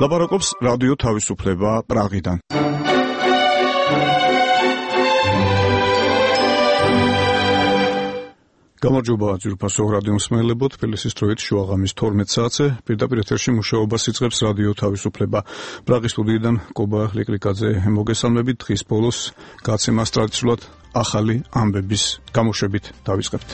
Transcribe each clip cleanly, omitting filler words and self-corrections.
ლაპარაკობს რადიო თავისუფლება პრაღიდან. გამარჯობა ძვირფასო რადიო მსმენელებო, თბილისის დროით შუაღამის 12 საათზე პირდაპირ ეთერში მუშაობას იწყებს რადიო თავისუფლება. პრაღის სტუდიიდან კობა ლიკლიკაძე მოგესალმებით. დღის ბოლოს გაცემას ტრადიციულად ახალი ამბების გამოშვებით დავიწყებთ.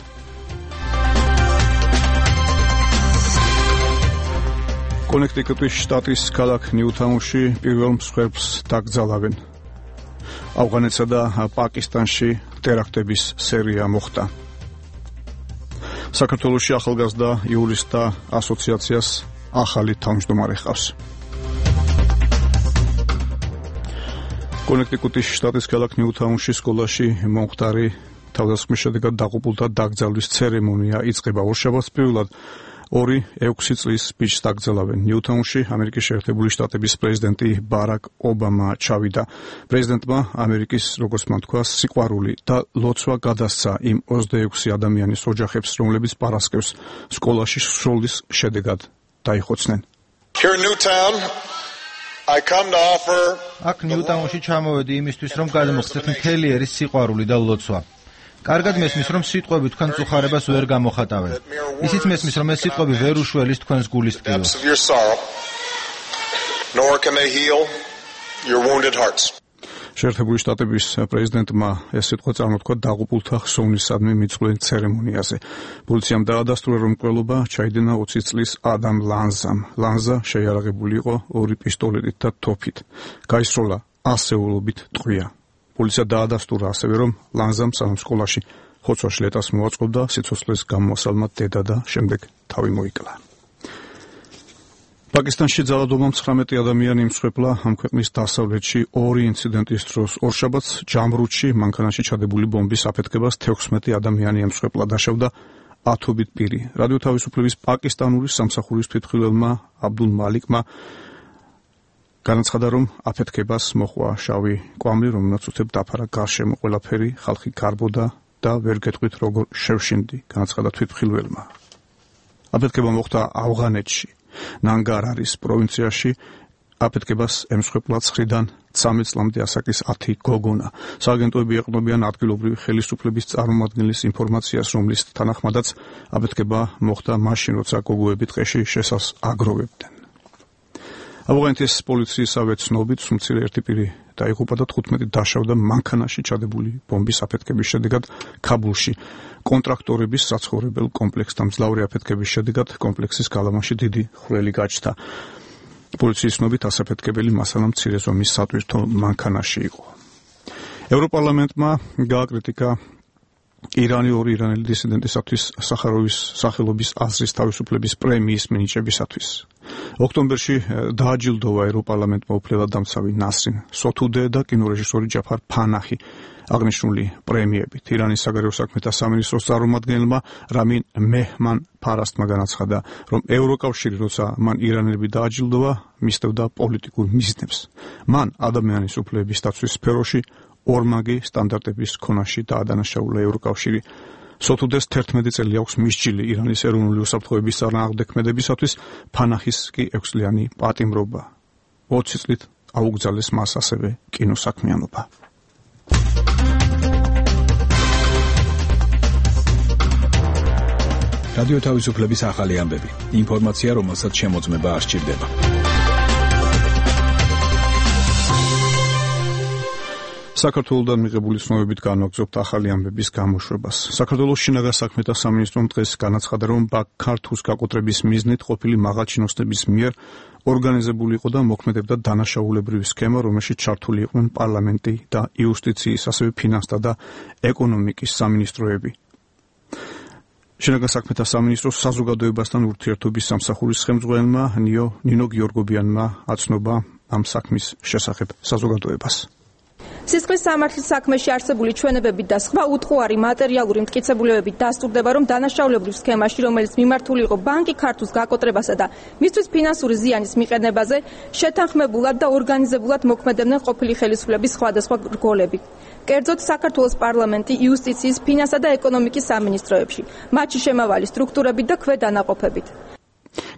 კონექტიკუტის შტატის ქალაქ ნიუთაუნში პირველ მსხვერპლს დაკრძალავენ. ავღანეთსა და პაკისტანში ტერაქტების სერია მოხდა. საქართველოში ახალგაზრდა იურისტთა ასოციაციას ახალი თავმჯდომარე ჰყავს. კონექტიკუტის შტატის ქალაქ ნიუთაუნში სკოლაში მომხდარი თავდასხმის შედეგად დაღუპულთა დაკრძალვის ცერემონია იწყება. ორშაბათს პირველად 2-6 წლის ბიჭს დაკრძალავენ. ნიუთაუნში ამერიკის შეერთებული შტატების პრეზიდენტი ბარაკ ობამა ჩავიდა. პრეზიდენტმა ამერიკის, როგორც მან თქვა, სიყვარული და ლოცვა გადასცა იმ 26 ადამიანის ოჯახებს, რომლებიც პარასკევს სკოლაში სროლის შედეგად დაიხოცნენ. აქ ნიუთაუნში ჩამოვედი იმისთვის, რომ გადმოხსნათ მთელი ერის სიყვარული და ლოცვა. კარგად მესმის, რომ სიტყვები თქვენ წუხარებას ვერ გამოხატავენ. ისიც მესმის, რომ ეს სიტყვები ვერ უშველის თქვენს გულის ტკივილს. შეერთებული შტატების პრეზიდენტმა ეს სიტყვა წარმოთქვა დაღუპულთა ხსოვნისადმი მიწყვლელ ცერემონიაზე. პოლიციამ დაადასტურა, რომ მკვლელობა ჩაიდინა 20 წლის ადამ ლანზამ. ლანზა შეიარაღებული იყო 2 პისტოლეტით და თოფით. გაისროლა ასეულობით ტყვია. პოლიცია დაადასტურა ასევე, რომ ლანზამ სანამ სკოლაში ხოცვაში ლეტას მოაწყობდა, სიცოცხლის გამოსალმა დედა და შემდეგ თავი მოიკლა. პაკისტანში ძალადობამ 19 ადამიანი იმსხვერპლა ამ ქვეყნის დასავლეთში 2 ინციდენტის დროს. ორშაბათს ჯამრუდში მანქანაში ჩადებული ბომბის აფეთქებას 16 ადამიანი იმსხვერპლა, დაშავდა 10-ობით პირი. რადიო თავისუფლების პაკისტანური სამსახურის თვითმხილველმა აბდულ მალიკმა განაცხადა, რომ აფეთქებას მოჰყვა შავი კვამლი, რომელმაც უთებ დაფარა გარშემო ყველაფერი, ხალხი გარბოდა და ვერ გეტყვით როგორ შევშინდი, განაცხადა თვითმხილველმა. აფეთქება მოხდა ავღანეთში, ნანგარარის პროვინციაში. აფეთქებას ემსხვერპლა 9-დან 13 წლამდე ასაკის 10 გოგონა. სააგენტოები ეყრდნობიან ადგილობრივი ხელისუფლების წარმომადგენლის ინფორმაციას, რომლის თანახმადაც აფეთქება მოხდა მაშინ, როცა გოგოები ტყეში შესავს აგროვებდნენ. ავღანეთის პოლიციისავე ცნობით, სუმცირე ერთი პირი დაიღუპა და 15 დაშავდა მანქანაში ჩადებული ბომბის აფეთქების შედეგად ქაბულში. კონტრაქტორების საცხოვრებელ კომპლექსთან მძლავრი აფეთქების შედეგად კომპლექსის გალავანში დიდი ხვრელი გაჩნდა. პოლიციის ცნობით ასაფეთქებელი მასალა მცირე ზომის სატვირთო მანქანაში იყო. ევროპარლამენტმა გააკრიტიკა ირანი 2 ირანელი დისიდენტისათვის სახაროვის სახელობის აზრის თავისუფლების პრემიის მინიჭებისათვის. ოქტომბერში დააჯილდოვა ევროპარლამენტმა უფლებადამცავი ნასრინ სოთუდე და კინორეჟისორი ჯაფარ ფანაჰი აღნიშნული პრემიებით. ირანის საგარეო საქმეთა სამინისტროს წარმომადგენელმა რამინ მეჰმან ფარასტმა განაცხადა, რომ ევროკავშირი, როცა მან ირანელები დააჯილდოვა, მისდევდა პოლიტიკურ მიზნებს. მან ადამიანის უფლებების დაცვის სფეროში ორმაგი სტანდარტების ქონაში დაადანაშაულა ევროკავშირი. სოთუდეს 11 წელი აქვს მისჯილი ირანის ეროვნული უსაფრთხოების წარმომადგენლებისათვის, ფანაჰის კი 6 წლიანი პატიმრობა. 20 წლით აუგზავნეს მას ასევე კინოსაქმიანობა. რადიო თავისუფლების ახალი ამბები. ინფორმაცია, რომელსაც შემოწმება არ სჭირდება. საქართველოდან მიღებული ცნობებით განვაგრძობთ ახალი ამბების გამოშვებას. საქართველოს შინაგან საქმეთა სამინისტრომ დღეს განაცხადა, რომ ქართულს გაკოტრების მიზნით ყოფილი მაღალჩინოსნების მიერ ორგანიზებული იყო და მოქმედებდა დანაშაულებრივი სქემა, რომელშიც ჩართული იყვნენ პარლამენტი და იუსტიციის, ასევე ფინანსთა და ეკონომიკის სამინისტროები. შინაგან საქმეთა სამინისტროს საზოგადოებასთან ურთიერთობის სამსახურის ხელმძღვანელმა ნინო გიორგობიანმა აცნობა ამ საქმის შესახებ საზოგადოებას. სისხლის სამართლის საქმეში არსებული ჩვენებებით და სხვა უტყუარი მატერიალური მტკიცებულებებით დასტურდება, რომ დანაშაულებრივ სქემაში, რომელიც მიმართული იყო ბანკი ქართულს გაკოტრებასა და მისთვის ფინანსური ზიანის მიყენებაზე, შეთანხმებულად და ორგანიზებულად მოქმედებდნენ ყოფილი ხელისუფლების სხვადასხვა რგოლები. კერძოდ საქართველოს პარლამენტი, იუსტიციის, ფინანსთა და ეკონომიკის სამინისტროებში, მათში შემავალი სტრუქტურებით და ქვედანაყოფებით.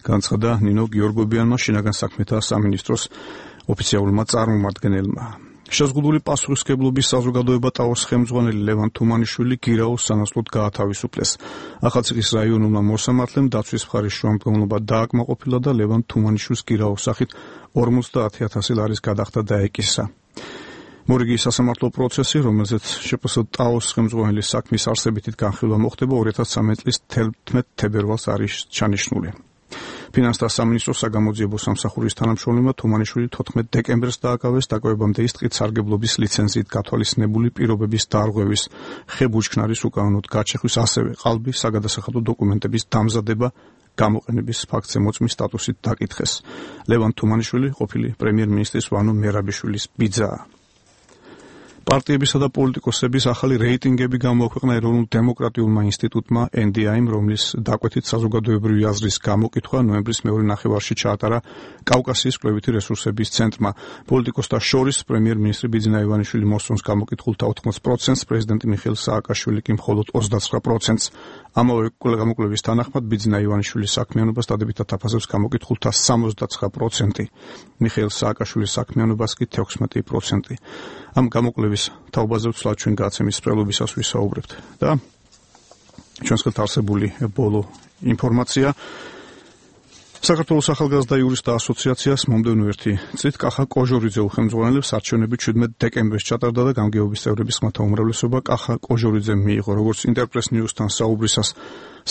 განცხადა ნინო გიორგობიანმა შინაგან საქმეთა სამინისტროს ოფიციალურმა წარმომადგენელმა. შეზღუდული პასუხისმგებლობის საზოგადოება ტაოს ხელმძღვანელი ლევან თუმანიშვილი გირაოს სანაცვლოდ გაათავისუფლეს. ახალციხის რაიონულმა მოსამართლემ დაცვის მხარის შუამდგომლობა დააკმაყოფილა და ლევან თუმანიშვილს გირაოს სახით 50,000 ლარის გადახდა დაეკისა. მორიგი სასამართლო პროცესი, რომელზეც შპს ტაოს ხელმძღვანელის საქმის არსებითით განხილვა მოხდება 2013 წლის 11 თებერვალს არის ჩანიშნული. ფინანსთა სამინისტროს საგამოძიებო სამსახურის თანამშრომლებმა თუმანიშვილი 14 დეკემბერს დააკავეს დაკვირვებამდე ის ტყით სარგებლობის ლიცენზიით გათვალისწინებული პირობების დარღვევის, ხე-ბუჩქნარის უკანონოდ გაჩეხვის, ასევე ყალბი საგადასახადო დოკუმენტების დამზადება გამოყენების ფაქტზე მოწმის სტატუსით დაკითხეს. ლევან თუმანიშვილი ყოფილი პრემიერ-მინისტრის ვანო მერაბიშვილის ბიძაა. პარტიებისა და პოლიტიკოსების ახალი რეიტინგები გამოაქვეყნა ეროვნულ დემოკრატიულმა ინსტიტუტმა NDI-მ, რომლის დაკვეთით საზოგადოებრივი აზრის გამოკითხვა ნოემბრის მეორე ნახევარში ჩაატარა კავკასიის კვლევითი რესურსების ცენტრმა. პოლიტიკოსთა შორის პრემიერ-მინისტრი ბიძინა ივანიშვილი მოსწონს გამოკითხულთა 80%-ს, პრეზიდენტი მიხეილ სააკაშვილი კი მხოლოდ 29%-ს. ამავე გამოკვლევის თანახმად ბიძინა ივანიშვილის საქმიანობას დადებითად აფასებს გამოკითხულთა 69%, მიხეილ სააკაშვილის საქმიანობას კი 16%. ამ გამოკვლევის თაობაზე ვცვლად ჩვენ გაცემის სპრელობისას ვისაუბრებთ და ჩვენს ხელთ არსებული ბოლო ინფორმაცია. საქართველოს ახალგაზრდა იურისტთა ასოციაციას მომდევნო ერთი წლით კახა კოჟორიძე უხელმძღვანელებს არჩევნები 17 დეკემბერს ჩატარდა და გამგეობის წევრების ხმათა უმრავლესობა კახა კოჟორიძემ მიიღო. როგორც ინტერპრეს ნიუსთან საუბრისას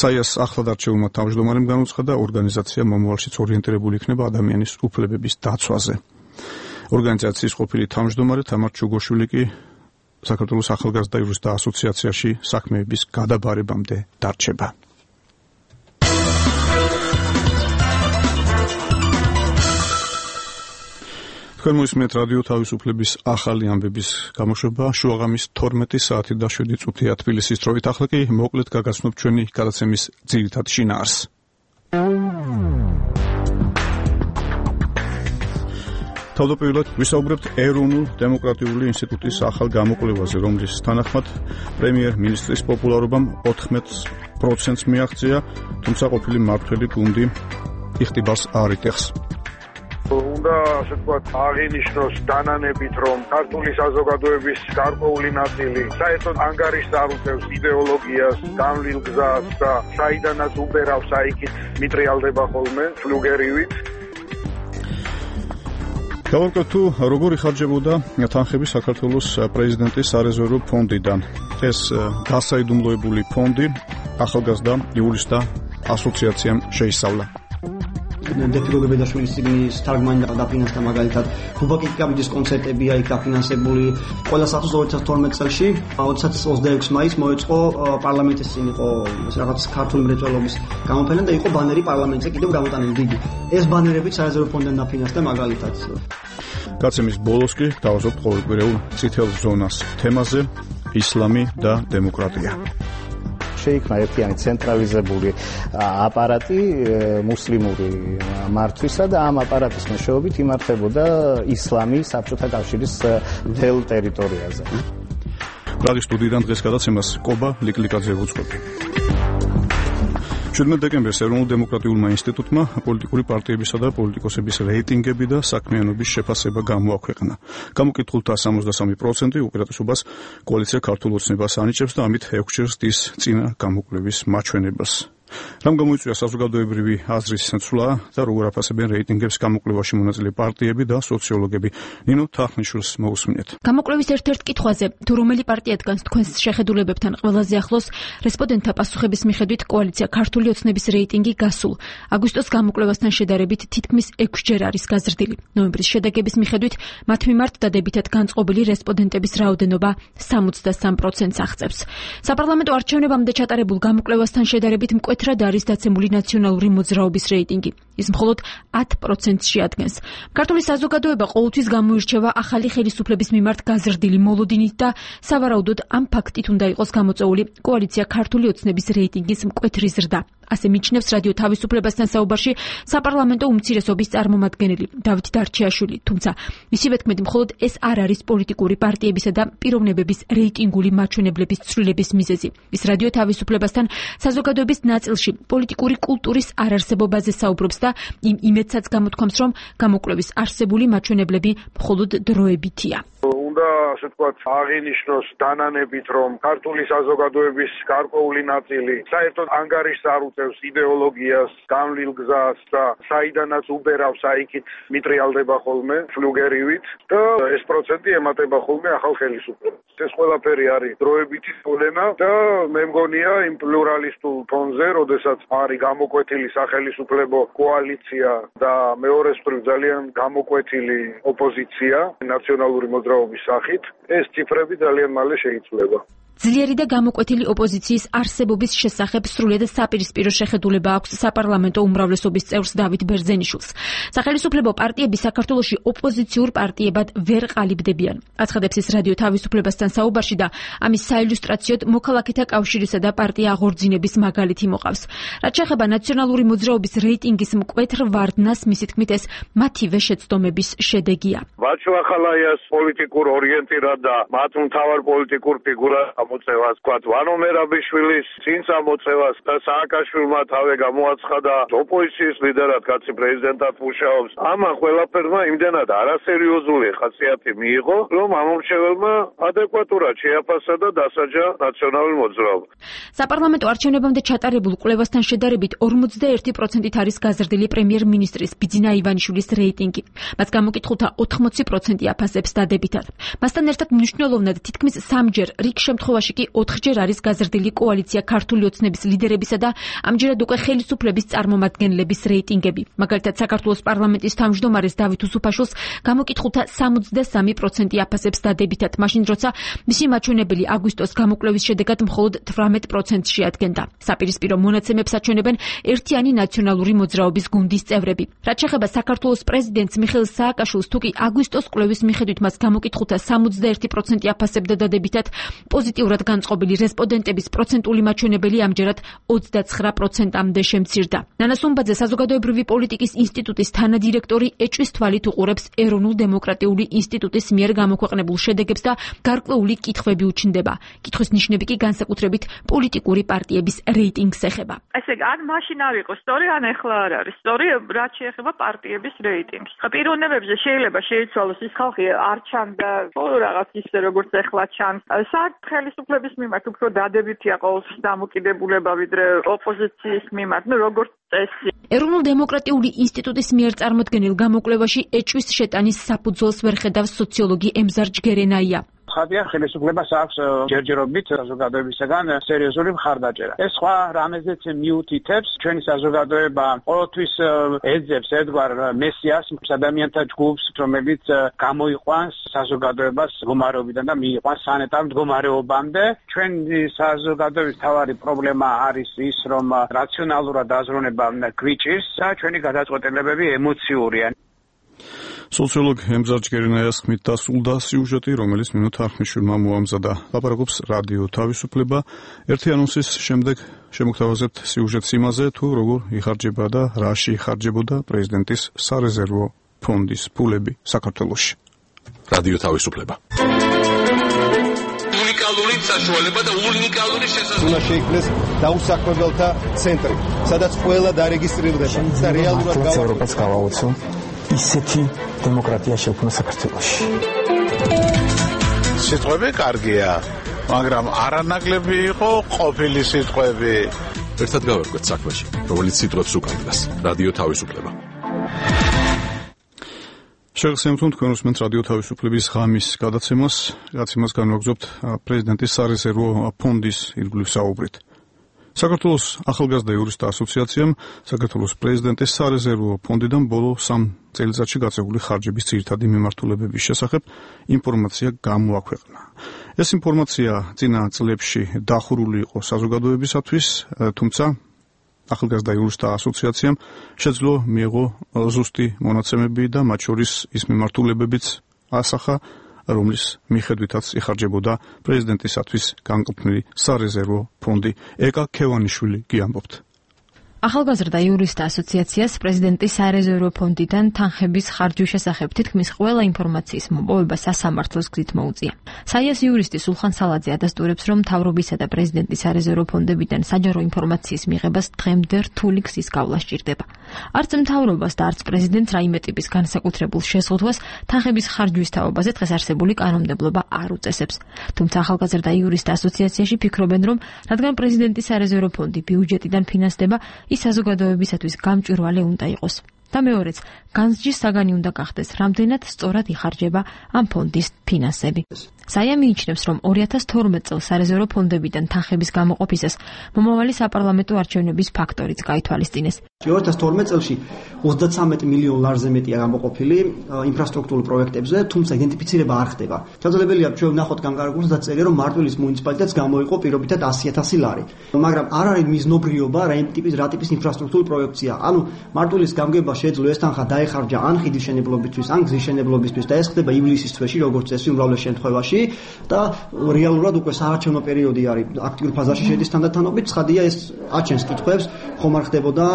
საიას ახლად არჩეულმა თავმჯდომარემ განუცხადა, ორგანიზაცია მომავალშიც ორიენტირებული იქნება ადამიანის უფლებების დაცვაზე. ორგანიზაციის ყოფილი თავმჯდომარე თამარ ჩუგოშვილი კი საქართველოს ახალგაზრდა იურისტთა ასოციაციაში საქმეების გადაბარებამდე დარჩება. თქვენ მოისმენთ რადიო თავისუფლების ახალი ამბების გამოშვება შუაღამის 12 საათი და 7 წუთია თბილისის დროით. ახლა კი მოკლედ გაგაცნობ ჩვენი გადაცემის ძირითად შინაარსს. თავდაპირველად ვისაუბრებთ ეროვნულ დემოკრატიული ინსტიტუტის ახალ გამოკვლევაზე, რომლის თანახმად პრემიერ-მინისტრის პოპულარობამ 14%-ს მიაღწია, თუმცა ყოფილი მმართველი გუნდი იხტიბარს არ იტეხს. უნდა ასე ვთქვათ აღინიშნოს დანანებით, რომ ქართული საზოგადოების გარკვეული ნაწილი საერთოდ ანგარიშს არ უწევს იდეოლოგიას, განვლილ გზას და საიდანაც უბერავს აიქით მიტრიალდება ხოლმე ფლუგერივით. გავაკეთე თუ როგორ იხარჯებოდა თანხები საქართველოს პრეზიდენტის სარეზერვო ფონდიდან. ეს გასაიდუმლოებული ფონდი ახალგაზრდა იურისტთა ასოციაციამ შეისწავლა. დეფილოგებედაშვილის წიგნის თარგმანი დაფინანსდა მაგალითად გუბაკი კაბიდის კონცერტები იქ დაფინანსებული ყველა საათს 2012 წელს 26 მაისს მოეწყო პარლამენტის წინ იყო რაღაც ქართული მრეწველობის გამოფენა და იყო ბანერი პარლამენტზე კიდევ გამოტანილი დიდი. ეს ბანერები სარეზერვო ფონდიდან დაფინანსდა მაგალითად. გაცემის ბოლოს კი დავაზობთ ყოველკვირეულ წითელ ზონას თემაზე ისლამი და დემოკრატია. შეიქმნა ერთიანი ცენტრალიზებული აპარატი მუსლიმური მართვისა და ამ აპარატის მეშვეობით იმართებოდა ისლამი საბჭოთა კავშირის მთელ ტერიტორიაზე. პრაღის სტუდიიდან დღეს გადაცემას კობა ლიკლიკაძე უძღვები. 17 დეკემბერს ეროვნულ დემოკრატიულმა ინსტიტუტმა პოლიტიკური პარტიებისა და პოლიტიკოსების რეიტინგები და საქმიანობის შეფასება გამოაქვეყნა. გამოკითხულთა 63% უპირატესობას კოალიცია ქართულ ოცნებას ანიჭებს და ამით 6 ჯერ ზრდის წინა გამოკვლევის მაჩვენებას. რამ გამოიწვია საზოგადოებრივი აზრის ცვლა და როგორ აფასებენ რეიტინგებს გამოკვლევაში მონაწილე პარტიები და სოციოლოგები. ნინო თახნიშვილს მოусმინეთ. გამოკვლევის ერთ-ერთ კითხვაზე, თუ რომელი პარტია დგას თქვენს შეხედულებებთან ყველაზე ახლოს, რესპონდენტთა პასუხების მიხედვით კოალიცია ქართული ოცნების რეიტინგი გასულ აგვისტოს გამოკვლევასთან შედარებით თითქმის 6 ჯერ არის გაზრდილი. ნოემბრის შედეგების მიხედვით მათ მიმართ დადებითად განწყობილი რესპონდენტების რაოდენობა 63%-ს აღწევს. საპარლამენტო არჩევნებამდე ჩატარებულ გამოკვლევასთან შედარებით მკვეთრად არის დაცემული ნაციონალური მოძრაობის რეიტინგი. ის მხოლოდ 10%-ს შეადგენს. ქართული საზოგადოება ყოველთვის გამოირჩევა ახალი ხელისუფლების მიმართ გაზრდილი მოლოდინით და სავარაუდოდ ამ ფაქტით უნდა იყოს გამოწვეული კოალიცია ქართული ოცნების რეიტინგის მკვეთრი ზრდა. ასე მიჩნევს რადიო თავისუფლებასთან საუბარში საპარლამენტო უმცირესობის წარმომადგენელი დავით დარჩიაშვილი, თუმცა მისივე თქმით მხოლოდ ეს არ არის პოლიტიკური პარტიებისა და პიროვნებების რეიტინგული მაჩვენებლების ცვლილების მიზეზი. ის რადიო თავისუფლებასთან საზოგადოების ნაწილში პოლიტიკური კულტურის არარსებობაზე საუბრობს და იმ იმედსაც გამოთქვამს, რომ გამოკვლევის არსებული მაჩვენებლები მხოლოდ დროებითია. უნდა ასე ვთქვათ აღინიშნოს დანანებით, რომ ქართული საზოგადოების გარკვეული ნაწილი საერთოდ ანგარიშს არ უწევს იდეოლოგიას, გამლილ გზას და საიდანაც უბერავს აიქით მიტრიალდება ხოლმე ფლუგერივით და ეს პროცენტი ემატება ხოლმე ახალ ხელისუფლებას. ეს ყველაფერი არის დროებითი პრობლემა და მე მგონია იმ პლურალისტულ ფონზე, როდესაც არის გამოკვეთილი სახელისუფლებო კოალიცია და მეორე მხრივ ძალიან გამოკვეთილი ოპოზიცია ნაციონალური მოძრაობის სახით, ეს ციფრები ძალიან მალე შეიცვლება. ძლიერი და გამოკვეთილი ოპოზიციის არსებობის შესახებ სრულად საპირისპირო შეხედულება აქვს საპარლამენტო უმრავლესობის წევრს დავით ბერძენიშვილს. სახელისუფლებო პარტიები საქართველოში ოპოზიციურ პარტიებად ვერ ყალიბდებიან. აცხადებს ის რადიო თავისუფლებასთან საუბარში და ამის საილუსტრაციოდ მოქალაქეთა კავშირისა და პარტია აღორძინების მაგალითი მოყავს. რაც შეეხება ნაციონალური მოძრაობის რეიტინგის მკვეთრ ვარდნას, მისი თქმით ეს მათივე შეცდომების შედეგია. ბაჩუახალაიას პოლიტიკურ ორიენტირად და მათ მთავარ პოლიტიკურ ფიგურას მოწევას თქვათ ვანო მერაბიშვილის წინ წამოწევას და სააკაშვილმა თავე გამოაცხადა ოპოზიციის ლიდერად კაცი პრეზიდენტად მუშაობს. ამან ყველაფერმა იმდენად არასერიოზული ხასიათი მიიღო, რომ ამომრჩეველმა ადეკვატურად შეაფასა და დასაჯა ნაციონალური მოძრაობა. საპარლამენტო არჩევნებამდე ჩატარებულ კვლევასთან შედარებით 41%-ით არის გაზრდილი პრემიერ-მინისტრის ბიძინა ივანიშვილის რეიტინგი. მას გამოკითხულთა 80% აფასებს დადებითად. მასთან ერთად მნიშვნელოვნად თითქმის 3-ჯერ რიგ შემთხვევაში კი 4-ჯერ არის გაზრდილი კოალიცია ქართული ოცნების ლიდერებისა და ამჯერად უკვე ხელისუფლების წარმომადგენლების რეიტინგები. მაგალითად, საქართველოს პარლამენტის თავმჯდომარეს დავით უსუფაშვილს გამოკითხულთა 63% აფასებს დადებითად, მაშინ როცა მისი მაჩვენებელი აგვისტოს გამოკვლევის შედეგად მხოლოდ 18%-ს შეადგენდა. საპირისპირო მონაცემებს აჩვენებენ ერთიანი ნაციონალური მოძრაობის გუნდის წევრები. რაც შეეხება საქართველოს პრეზიდენტს მიხეილ სააკაშვილს, თუ კი აგვისტოს კვლევის მიხედვით მას გამოკითხულთა 61% აფასებდა დადებითად, პოზიტიურად განწყობილი რესპონდენტების პროცენტული მაჩვენებელი ამჯერად 29%-მდე შემცირდა. ნანა სუმბაძე საზოგადოებრივი პოლიტიკის ინსტიტუტის თანადირექტორი ეჭვის თვალით უყურებს ეროვნულ დემოკრატიული ინსტიტუტის მიერ გამოქვეყნებულ შედეგებს და გარკვეული კითხვები უჩნდება. კითხვის ნიშნები კი განსაკუთრებით პოლიტიკური პარტიების რეიტინგს ეხება. ესე ან მაშინ არ იყო სწორი, ან ეხლა არ არის სწორი, რაც შეეხება პარტიების რეიტინგს. პიროვნებებზე შეიძლება შეიცვალოს ის ხალხი არ ჩანდა, რაღაც ისე როგორც ეხლა ჩანს. ხელისუფლების მიმართ უფრო დადებითია ყოველთვის დამოკიდებულება ვიდრე ოპოზიციის მიმართ, როგორც წესი. ეროვნულ დემოკრატიული ინსტიტუტის მიერ წარმოდგენილ გამოკვლევაში ეჭვის შეტანის საფუძველს ვერ ხედავს სოციოლოგი ემზარ ჯგერენაია. ხადია ხელისუფლებას აქვს ჯერჯერობით საზოგადოებისგან სერიოზული მხარდაჭერა. ეს სხვა რამეზეც მიუთითებს ჩვენი საზოგადოება ყოველთვის ეძებს ერთგვარ მესიას, ადამიანთა ჯგუფს, რომელიც გამოიყვანს საზოგადოებას მდგომარეობიდან და მიიყვანს სანეტარ მდგომარეობამდე. ჩვენი საზოგადოების მთავარი პრობლემა არის ის, რომ რაციონალურად დაზროვნება გვიჭირს და ჩვენი გადაწყვეტილებები ემოციურია. სოციოლოგ ემზარ ჯგერენაიას ხმით დასრულდა სიუჟეტი, რომელიც მინუტ არხმიშვილმა მოამზადა. ლაპარაკობს რადიო თავისუფლება. ერთი ანონსის შემდეგ შემოგთავაზებთ სიუჟეტს იმაზე, თუ როგორ იხარჯება და რაში იხარჯებოდა პრეზიდენტის სარეზერვო ფონდის ფულები საქართველოში. რადიო თავისუფლება. უნიკალური საშუალება და უნიკალური შესაძლებლობა. უნდა შეიქმნეს დაუსაქმებელთა ცენტრი, სადაც ყველა დარეგისტრირდება და რეალურად ევროპას გავაოცო ისეთი დემოკრატია შექმნა საქართველოში. სიტყვები კარგია, მაგრამ არანაკლები იყო ყოფილი სიტყვები. ერთად გავერკვეთ საქმეში, რომელიც სიტყვებს უკავშირდება. რადიო თავისუფლება. შეგახსენებთ თქვენ უსმენთ რადიო თავისუფლების ღამის გადაცემას, რაც იმას განვაგრძობთ პრეზიდენტის სარეზერვო ფონდის ირგვლივ საუბრით. საქართველოს ახალგაზრდა იურისტთა ასოციაციამ საქართველოს პრეზიდენტის სარეზერვო ფონდიდან ბოლო 3 წელიწადში გაწეული ხარჯების ძირითადი მიმართულებების შესახებ ინფორმაცია გამოაქვეყნა. ეს ინფორმაცია წინა წლებში დახურული იყო საზოგადოებისათვის, თუმცა ახალგაზრდა იურისტთა ასოციაციამ შეძლო მიიღო ზუსტი მონაცემები და მათ შორის ის მიმართულებებიც ასახა, რომლის მიხედვითაც იხარჯებოდა პრეზიდენტისათვის განკუთვნილი სარეზერვო ფონდი. ეკა ქევანიშვილი გიამბობთ. ახალგაზრდა იურისტთა ასოციაციას პრეზიდენტის სარეზერვო ფონდიდან თანხების ხარჯვის შესახებ თითქმის ყველა ინფორმაციის მოპოვება სასამართლოს გზით მოუწია. საიას იურისტი სულხან სალაძე ადასტურებს, რომ მთავრობისა და პრეზიდენტის სარეზერვო ფონდებიდან საჯარო ინფორმაციის მიღებას დღემდე რთული გზის გავლა სჭირდება. არც მთავრობას და არც პრეზიდენტს რაიმე ტიპის განსაკუთრებულ შეზღუდვას თანხების ხარჯვის თაობაზე დღეს არსებული კანონმდებლობა არ უწესებს. თუმცა ახალგაზრდა იურისტთა ასოციაციაში ფიქრობენ, რომ რადგან პრეზიდენტის სარეზერვო ფონდი ბიუჯეტიდან ფინანსდება, ის საზოგადოებისათვის გამჭვირვალე უნდა იყოს. და მეორეც, განსჯის საგანი უნდა გახდეს, რამდენად სწორად იხარჯება ამ ფონდის ფინანსები. საია მიიჩნევს, რომ 2012 წელს სარეზერვო ფონდებიდან თანხების გამოყოფისას მომავალი საპარლამენტო არჩევნების ფაქტორიც გაითვალისწინეს. 2012 წელში 33 მილიონ ლარზე მეტია გამოყოფილი ინფრასტრუქტურულ პროექტებზე, თუმცა იდენტიფიცირება არ ხდება. შესაძლებელია ჩვენ ვნახოთ განკარგულს და წერია, რომ მარტვილის მუნიციპალიტეტს გამოიყო პირობითად 100,000 ლარი. მაგრამ არ არის მიზნობრიობა რა ტიპის ინფრასტრუქტურულ პროექტია. ანუ მარტვილის გამგება შეძლო ეს თანხა დაეხარჯა ან ხიდის მშენებლობისთვის, ან გზის მშენებლობისთვის და ეს ხდება ივლისის თვეში, როგორც წესი უმრავლეს შემთხვევაში და რეალურად უკვე საარჩევნო პერიოდი არის, აქტიურ ფაზაში შედის თანდათანობით, ცხადია ეს აჩენს კითხვებს, ხომ არ ხდებოდა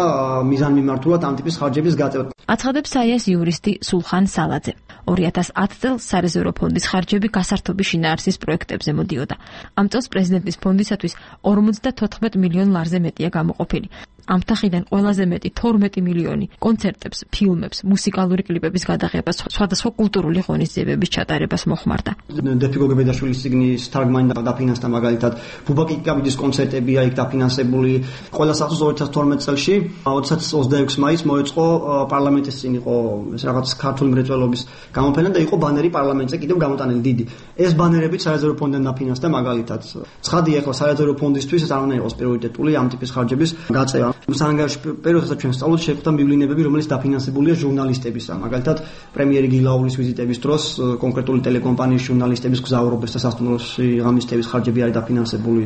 მიზანმიმართულად ამ ტიპის ხარჯების გაწევა. აცხადებს საიას იურისტი სულხან სალაძე. 2010 წელს სარეზერვო ფონდის ხარჯები გასართობის შინაარსის პროექტებზე მოდიოდა. ამ წელს პრეზიდენტის ფონდისათვის 54 მილიონ ლარზე მეტია გამოყოფილი. ამ თანხიდან ყველაზე მეტი 12 მილიონი კონცერტებს, ფილმებს, მუსიკალური კლიპების გადაღებას, სხვადასხვა კულტურული ღონისძიებების ჩატარებას მოხმარდა. დეფიგო გებედაშვილის წიგნის თარგმანი დაფინანსდა მაგალითად ბუბაკი კიკაბიძის კონცერტებია იქ დაფინანსებული. ყველა სახსოვს 2012 წელში 26 მაისს მოეწყო პარლამენტის წინ იყო ეს რაღაც ქართული მრეწველობის გამოფენა და იყო ბანერი პარლამენტზე კიდევ გამოტანილი დიდი. ეს ბანერები სარეზერვო ფონდიდან დაფინანსდა მაგალითად. ცხადია ახლა სარეზერვო ფონდისთვის ეს არ უნდა იყოს პრიორიტეტული ამ ტიპის ხარჯების გაწევა. სანგარიშ პერიოდსაც ჩვენ სწავლობთ შეხვდა მივლინებები, რომელიც დაფინანსებულია ჟურნალისტებისა. მაგალითად, პრემიერი გილაურის ვიზიტების დროს კონკრეტული ტელეკომპანიის ჟურნალისტების გზაურობის და სასტუმროში ღამისთების ხარჯები არის დაფინანსებული.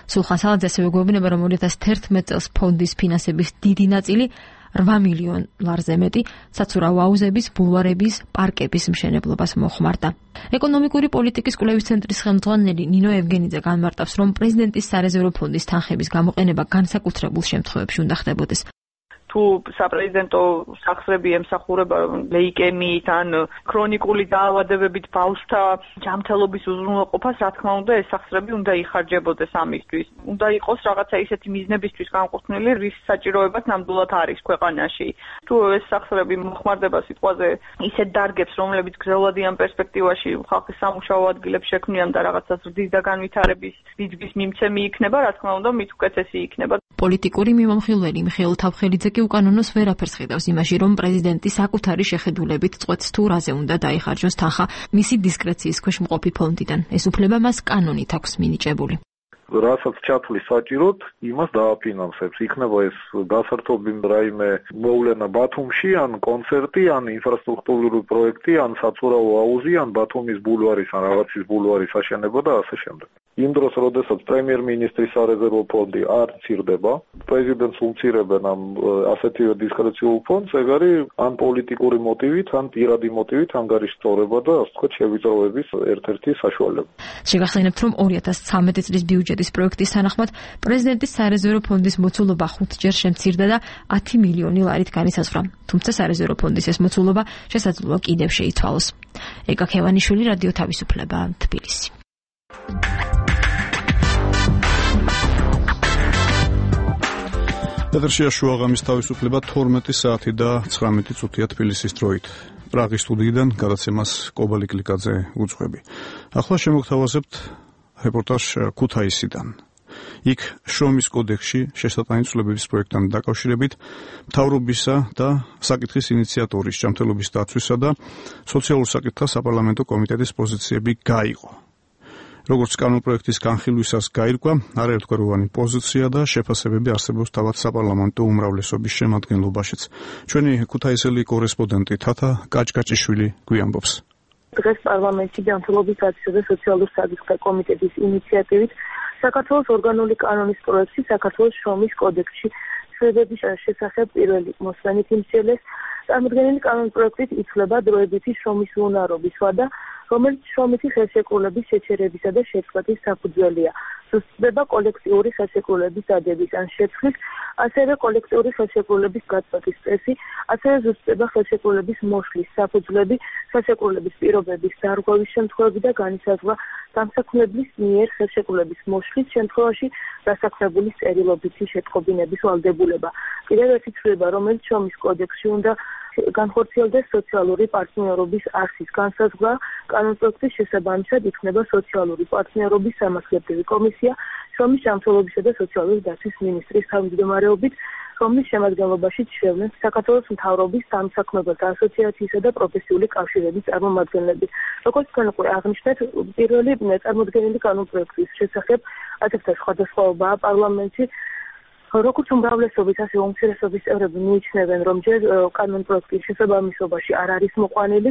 სულხან სალაძე ასევე გვეუბნება, რომ 2011 წელს ფონდის ფინანსების დიდი ნაწილი 8 მილიონ ლარზე მეტი საცურაო აუზების, ბულვარების, პარკების მშენებლობას მოხმარდა. ეკონომიკური პოლიტიკის კვლევის ცენტრის ხელმძღვანელი ნინო ევგენიძე განმარტავს, რომ პრეზიდენტის სარეზერვო ფონდის თანხების გამოყენება განსაკუთრებულ შემთხვევებში უნდა ხდებოდეს. თუ საპრეზიდენტო სახსრები ემსახურება ლეიკემიით ან ქრონიკული დაავადებებით ბავშვთა ჯანმრთელობის უზრუნველყოფას, რა თქმა უნდა, ეს სახსრები უნდა იხარჯებოდეს ამისთვის. უნდა იყოს რაღაცა ისეთი მიზნებისთვის განკუთვნილი, რის საჭიროებაც ნამდვილად არის ქვეყანაში. თუ ეს სახსრები მოხმარდება სიტყვაზე ისეთ დარგებს, რომლებიც გრძელვადიან პერსპექტივაში ხალხის სამუშაო ადგილებს შექმნიან და რაღაცა ზრდის და განვითარების ბიძგვის მიმცემი იქნება, რა თქმა უნდა, მით უკეთესი იქნება. პოლიტიკური მიმომხილველი მიხეილ თავხელიძე კი უკანონოს ვერაფერს ხედავს იმაში, რომ პრეზიდენტი საკუთარი შეხედულებით წყვეტს თუ რაზე უნდა დაიხარჯოს თანხა მისი დისკრეციის ქვეშ მყოფი ფონდიდან. ეს უფლება მას კანონით აქვს მინიჭებული. რასაც ჩათვლის საჭიროდ, იმას დააფინანსებს. იქნება ეს გასართობი რაიმე მოვლენა ბათუმში, ან კონცერტი, ან ინფრასტრუქტურული პროექტი, ან საცურაო აუზი, ან ბათუმის ბულვარის, ან რაღაცის ბულვარის აშენება და ასე შემდეგ. იმ დროს, როდესაც პრემიერ-მინისტრის სარეზერვო ფონდი არ მცირდება, პრეზიდენტს უმცირებენ ამ ასეთივე დისკრეციულ ფონდს, ეგ არის ან პოლიტიკური მოტივით, ან პირადი მოტივით ანგარიშწორება და ასე ვთქვათ შევიწროების ერთ-ერთი საშუალება. შეგახსენებთ, რომ 2013 წლის ბიუჯეტის პროექტის თანახმად პრეზიდენტის სარეზერვო ფონდის მოცულობა 5-ჯერ შემცირდა და 10 მილიონი ლარით განისაზღვრა. თუმცა სარეზერვო ფონდის ეს მოცულობა შესაძლოა კიდევ შეიცვალოს. ეკა ქევანიშვილი, რადიო თავისუფლება, თბილისი. ეთერშია შუაღამის თავისუფლება 12 საათი და 19 წუთია თბილისის დროით. პრაღის სტუდიიდან გადაცემას კობალი კლიკაძე უძღვები. ახლა შემოგთავაზებთ რეპორტაჟ ქუთაისიდან. იქ შრომის კოდექსში შესატანი ცვლილებების პროექტთან დაკავშირებით მთავრობისა და საკითხის ინიციატორის ჯანმრთელობის დაცვისა და სოციალურ საკითხთა საპარლამენტო კომიტეტის პოზიციები გაიყო. როგორც კანონპროექტის განხილვისას გაირკვა, არაერთგვაროვანი პოზიცია და შეფასებები არსებობს თავად საპარლამენტო უმრავლესობის შემადგენლობაშიც. ჩვენი ქუთაისელი კორესპონდენტი თათა კაჭკაჭიშვილი გვიამბობს. დღეს პარლამენტში ჯანმრთელობის დაცვისა და სოციალურ საკითხთა კომიტეტის ინიციატივით საქართველოს ორგანული კანონის პროექტი საქართველოს შრომის კოდექსში განხილვების შესახებ პირველი მოსმენით იმსიელეს, წარმოდგენილი კანონპროექტით იცვლება დროებითი შრომის უნარობის ვადა, რომელიც შრომითი ხელშეკრულების შეჩერებისა და შეწყვეტის საფუძველია. ზუსტდება კოლექტიური ხელშეკრულების დადების ან შეცვლის, ასევე კოლექტიური ხელშეკრულების გაწყვეტის წესი, ასევე ზუსტდება ხელშეკრულების მოშლის საფუძვლები, ხელშეკრულების პირობების დარღვევის შემთხვევები და განისაზღვრა დამსაქმებლის მიერ ხელშეკრულების მოშლის შემთხვევაში დასაქმებულის წერილობითი შეტყობინების ვალდებულება. კიდევ ერთი ცვლილება, რომელიც შრომის კოდექსში უნდა განხორციელდეს სოციალური პარტნიორობის არსის განსაზღვრა, კანონპროექტის შესაბამისად იქნება სოციალური პარტნიორობის სამართლებრივი კომისია, შრომის ჯანმრთელობისა და სოციალური დაცვის მინისტრის თავმჯდომარეობით, რომლის შემადგენლობაში ჩნდებიან საქართველოს მთავრობის სამსაქმებელთა ასოციაციისა და პროფესიული კავშირების წარმომადგენლები. როგორც თქვენ უკვე აღნიშნეთ, პირველი წარმოდგენილი კანონპროექტის შესახებ ათასთა სხვადასხვაობაა პარლამენტში. როგორც უმრავლესობის, ასევე უმცირესობის წევრები მიიჩნევენ, რომ ჯერ კანონპროექტის შესაბამისობაში არ არის მოყვანილი.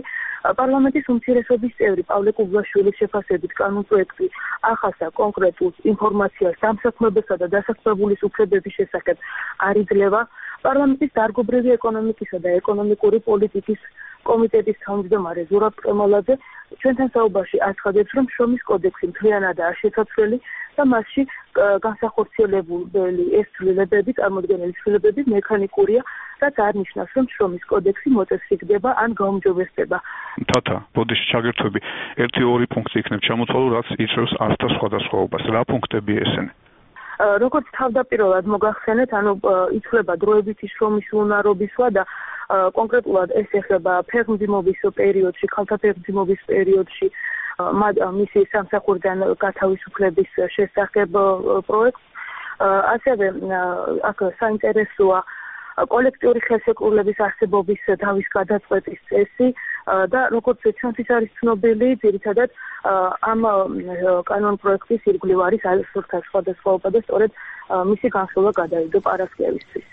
პარლამენტის უმცირესობის წევრი პავლე კუბლაშვილის შეფასებით კანონპროექტი ახასა კონკრეტულ ინფორმაციას დამსაქმებელსა და დასაქმებულის უფლებების შესახებ არ იძლევა. პარლამენტის დარგობრივი ეკონომიკისა და ეკონომიკური პოლიტიკის კომიტეტის თავმჯდომარე ზურაბ ყემალაძე ჩვენთან საუბარში აცხადებს, რომ შრომის კოდექსი მთლიანადაა შესაცვლელი და მასში განსახორციელებული ეს ცვლილებები, წარმოდგენილი ცვლილებები მექანიკურია, რაც არ ნიშნავს, რომ შრომის კოდექსი მოწესრიგდება ან გაუმჯობესდება. თათა, ბოდიში ჩაგერთვები, 1-2 პუნქტი იქნება ჩამოთვალო, რაც იწვევს არსთა სხვადასხვაობას. რა პუნქტები ესენი? როგორც თავდაპირველად მოგახსენეთ, იცვლება დროებითი შრომის უნარობის ვადა, კონკრეტულად ეს ეხება ფეხმძიმობის პერიოდში, ქალთა ფეხმძიმობის პერიოდში მისი სამსახურიდან გათავისუფლების შესახებ პროექტს. ასევე აქ საინტერესოა კოლექტიური ხელშეკრულების არსებობის დავის გადაწყვეტის წესი და როგორც ჩვენთვის არის ცნობილი, ძირითადად ამ კანონპროექტის ირგვლივ არის ასურთა სხვადასხვაობა და სწორედ მისი განხილვა გადაიდო პარასკევისთვის.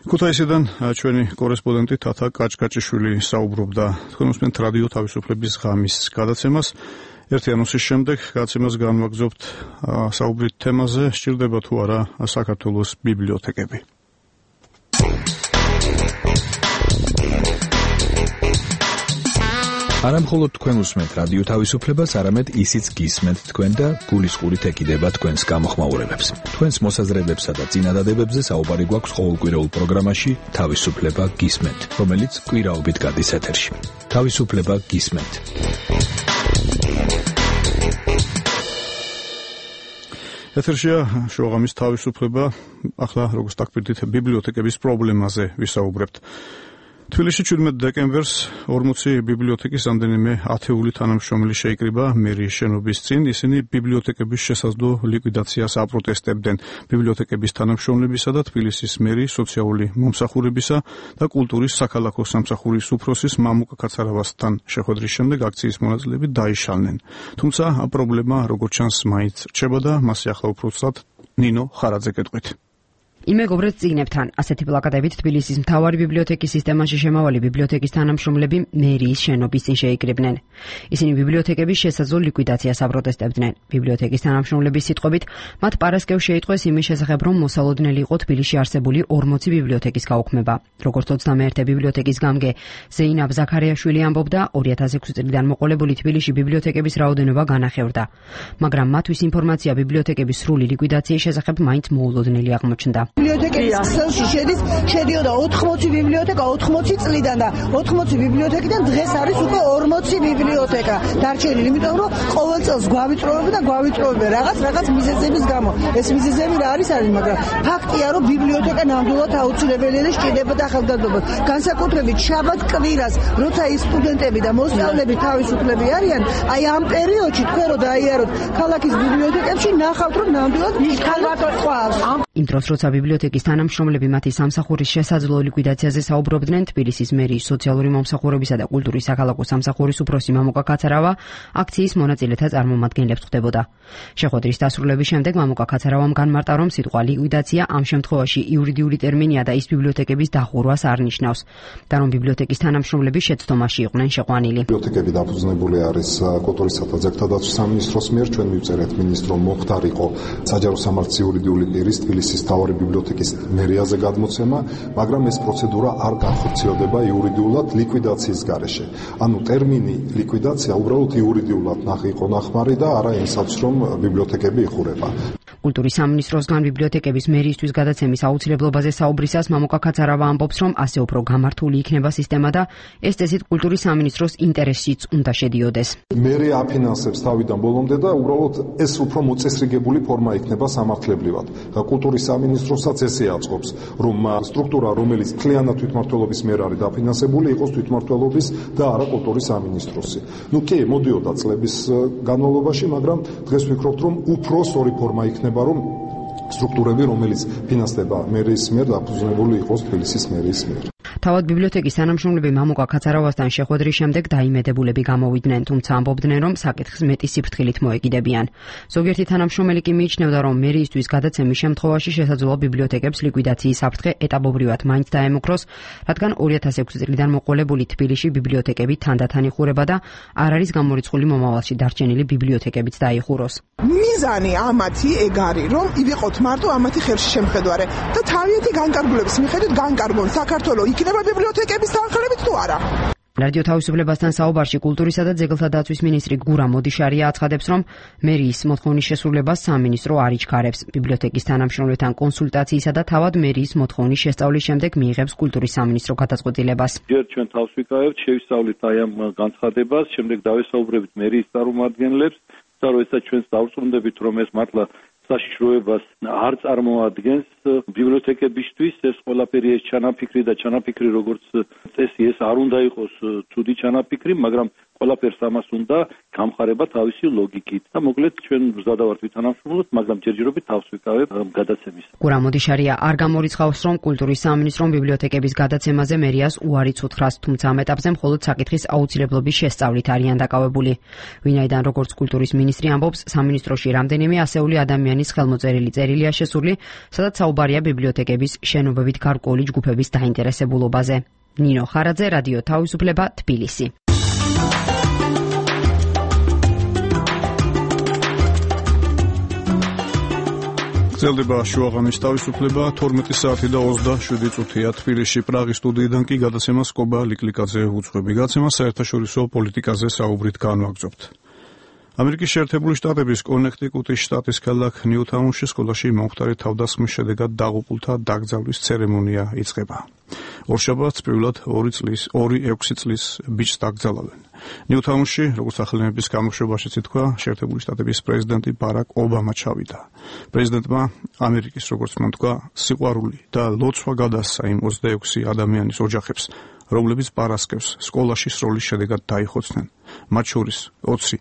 ქუთაისიდან ჩვენი კორესპონდენტი თათა კაჭკაჭიშვილი საუბრობდა. თქვენ უსმენთ რადიო თავისუფლების ღამის გადაცემას. ერთი ანონსის შემდეგ გადაცემას განვაგრძობთ საუბრით თემაზე, სჭირდება თუ არა საქართველოს ბიბლიოთეკები. არა მხოლოდ თქვენ უსმენთ რადიო თავისუფლებას, არამედ ისიც გისმენთ თქვენ და გულისყურით ეკიდება თქვენს გამოხმაურებებს. თქვენს მოსაზრებებსა და წინადადებებზე საუბარი გვაქვს ყოველკვირეულ პროგრამაში თავისუფლება გისმენთ, რომელიც კვირაობით გადის ეთერში. თავისუფლება გისმენთ. ეთერშია შოღამის თავისუფლება. ახლა როგორც დაგპირდით ბიბლიოთეკების პრობლემაზე ვისაუბრებთ. თბილისში 17 დეკემბერს 40 ბიბლიოთეკის რამდენიმე ათეული თანამშრომელი შეიკრიბა მერიის შენობის წინ. ისინი ბიბლიოთეკების შესაძლო ლიკვიდაციას აპროტესტებდნენ. ბიბლიოთეკების თანამშრომლებისა და თბილისის მერიის სოციალური მომსახურებისა და კულტურის საქალაქო სამსახურის უფროსის მამუკა კაცარავასთან შეხვედრის შემდეგ აქციის მონაწილეები დაიშალნენ. თუმცა პრობლემა როგორც ჩანს მაინც რჩება და მასზე ახლა უფრო ცუდად ნინო ხარაძე გეტყვით. იმეგობრეთ წიგნებთან, ასეთი პლაკატებით თბილისის მთავარი ბიბლიოთეკის სისტემაში შემავალი ბიბლიოთეკის თანამშრომლები მერიის შენობის წინ შეიკრიბნენ. ისინი ბიბლიოთეკების შესაძლო ლიკვიდაციას აპროტესტებდნენ. ბიბლიოთეკის თანამშრომლების სიტყვებით, მათ პარასკევს შეიტყვეს იმის შესახებ, რომ მოსალოდნელი იყო თბილისში არსებული 40 ბიბლიოთეკის გაუქმება. როგორც 21 ბიბლიოთეკის გამგე ზეინაბ ზაქარიაშვილი ამბობდა, 2006 წლიდან მოყოლებული თბილისში ბიბლიოთეკების რაოდენობა განახევრდა. მაგრამ მათთვის ინფორმაცია ბიბლიოთეკების სრული ლიკვიდაციის შესახებ მაინც მოულოდნელი აღმოჩნდა. ბიბლიოთეკის ქსელში შედიოდა 80 ბიბლიოთეკა 80 წლიდან და 80 ბიბლიოთეკიდან დღეს არის უკვე 40 ბიბლიოთეკა დარჩენილი, იმიტომ რომ ყოველ წელს გვავიწროვებენ რაღაც მიზეზების გამო. ეს მიზეზები რა არის, მაგრამ ფაქტია, რომ ბიბლიოთეკა ნამდვილად აუცილებელია და სჭირდება ახალგაზრდობას. განსაკუთრებით შაბათ კვირას, როცა ის სტუდენტები და მოსწავლეები თავისუფლები არიან, აი ამ პერიოდში თქვენ რო დაიაროთ ქალაქის ბიბლიოთეკებში, ნახავთ, რომ ნამდვილად მიხალვატო ყავს. იმ დროს როცა ბიბლიოთეკის თანამშრომლები მათი სამსახურის შესაძლო ლიკვიდაციაზე საუბრობდნენ, თბილისის მერიის სოციალური მომსახურებისა და კულტურის საქალაქო სამსახურის უფროსი მამუკა კაცარავა აქციის მონაწილეთა წარმომადგენლებს ხვდებოდა. შეხვედრის დასრულების შემდეგ მამუკა კაცარავამ განმარტა, რომ სიტყვა ლიკვიდაცია ამ შემთხვევაში იურიდიული ტერმინია და ის ბიბლიოთეკების დახურვას არ ნიშნავს და რომ ბიბლიოთეკის თანამშრომლები შეცდომაში იყვნენ შეყვანილი. ბიბლიოთეკები დაფუძნებული არის კულტურისა და ძეგლთა დაცვის სამინისტროს მიერ. ჩვენ მივწერეთ მინისტრომ მოხდარიყო საჯარო სამართლის იურიდიული პირის თბილისის თბილისის მთავარი ბიბლიოთეკის მერიაზე გადმოცემა, მაგრამ ეს პროცედურა არ განხორციელდება იურიდიულად ლიკვიდაციის გარეშე. ანუ ტერმინი ლიკვიდაცია უბრალოდ იურიდიულად იყო ნახმარი და არა იმსაც, რომ ბიბლიოთეკები იხურება. კულტურის სამინისტროსგან ბიბლიოთეკების მერიისთვის გადაცემის აუცილებლობაზე საუბრისას მამუკა ქაცარავა ამბობს, რომ ასე უფრო გამართული იქნება სისტემა და ეს წესით კულტურის სამინისტროს ინტერესშიც უნდა შედიოდეს. მერია აფინანსებს თავიდან ბოლომდე და უბრალოდ ეს უფრო მოწესრიგებული ფორმა იქნება სამართლებრივად. კულტურის სამინისტროსაც ესე აწყობს, რომ სტრუქტურა, რომელიც მთლიანად თვითმმართველობის მიერ არის დაფინანსებული, იყოს თვითმმართველობის და არა კულტურის სამინისტროსი. კი, მოდიოდა წლების განმავლობაში, მაგრამ დღეს ვფიქრობთ, რომ უფრო სწორი ფორმა იქნება, რომ სტრუქტურები, რომელიც ფინანსდება მერიის მიერ, დაფუძნებული იყოს თბილისის მერიის მიერ. თავად ბიბლიოთეკის თანამშრომლები მამუკა ქაცარავასთან შეხვედრის შემდეგ დაიმედებულები გამოვიდნენ, თუმცა ამბობდნენ, რომ საკითხს მეტი სიფრთხილით მოეკიდებიან. ზოგიერთი თანამშრომელი კი მიიჩნევდა, რომ მერიისთვის გადაცემის შემთხვევაში შესაძლოა ბიბლიოთეკებს ლიკვიდაციის საფრთხე ეტაპობრივად მაინც დაემუქროს, რადგან 2006 წლიდან მოყოლებული თბილისში ბიბლიოთეკები თანდათან იხურება და არ არის გამორიცხული მომავალში დარჩენილი ბიბლიოთეკებიც დაიხუროს. მიზანი ამათი ეგ არის, რომ ივიყოთ მარტო ამათი ხელში შემხედვარე და თავიანთი განკარგულების მიხედვით განკარგონ საქართველოს იქნება ბიბლიოთეკების თანხლებით თუ არა. რადიო თავისუფლებასთან საუბარში კულტურისა და ძეგლთა დაცვის მინისტრი გურა მოდიშარია აცხადებს, რომ მერიის მოთხოვნის შესრულებას სამინისტრო არ იჩქარებს. ბიბლიოთეკის თანამშრომლებთან კონსულტაციისა და თავად მერიის მოთხოვნის შესწავლის შემდეგ მიიღებს კულტურის სამინისტრო გადაწყვეტილებას. ჯერ ჩვენ თავს ვიკავებთ, შევისწავლით აი ამ განცხადებას, შემდეგ დავესაუბრებით მერიის წარმომადგენლებს და როდესაც ჩვენს დავწუნდებით, რომ ეს მართლა საშიშროებას არ წარმოადგენს ბიბლიოთეკებისთვის, ეს ყველაფერი ეს ჩანაფიქრი როგორც წესი ეს არ უნდა იყოს ცუდი ჩანაფიქრი, მაგრამ ყველაფერს ამას უნდა გამხარება თავისი ლოგიკით და მოკლედ ჩვენ ვზადავართ ვითანამშრომლოთ, მაგრამ ჯერჯერობით თავს ვიკავებ გადაცემის. გურა მოდიშარია არ გამორიცხავს, რომ კულტურის სამინისტრომ ბიბლიოთეკების გადაცემაზე მერიას უარიც უთხრას, თუმცა ამ ეტაპზე მხოლოდ საკითხის აუცილებლობის შესწავლით არიან დაკავებული. ვინაიდან როგორც კულტურის მინისტრი ამბობს, სამინისტროში რამდენიმე ასეული ადამიანის ხელმოწერილი წერილია შესული, სადაც საუბარია ბიბლიოთეკების შენობებით გარკვეული ჯგუფების დაინტერესებულობაზე. ნინო ხარაძე, რადიო თავისუფლება, თბილისი. გრძელდება შუაღამის თავისუფლება 12 საათი და 27 წუთია თბილისში. პრაღის სტუდიიდან კი გადაცემას კობა ლიკლიკაძე უძღვები. გადაცემა საერთაშორისო პოლიტიკაზე საუბრით განვაგრძობთ. ამერიკის შეერთებული შტატების კონექტიკუტის შტატის ქალაქ ნიუთაუნში სკოლაში მომხდარი თავდასხმის შედეგად დაღუპულთა დაკრძალვის ცერემონია იწყება. ორშაბათს პირველად 2-6 წლის ბიჭს დაკრძალავენ. ნიუთაუნში, როგორც სახელმწიფოს გამოშვებაშიც ითქვა, შეერთებული შტატების პრეზიდენტი ბარაკ ობამა ჩავიდა. პრეზიდენტმა ამერიკის, როგორც მან თქვა, სიყვარული და ლოცვა გადასცა იმ 26 ადამიანის ოჯახებს, რომლებიც პარასკევს სკოლაში სროლის შედეგად დაიხოცნენ. მათ შორის 20,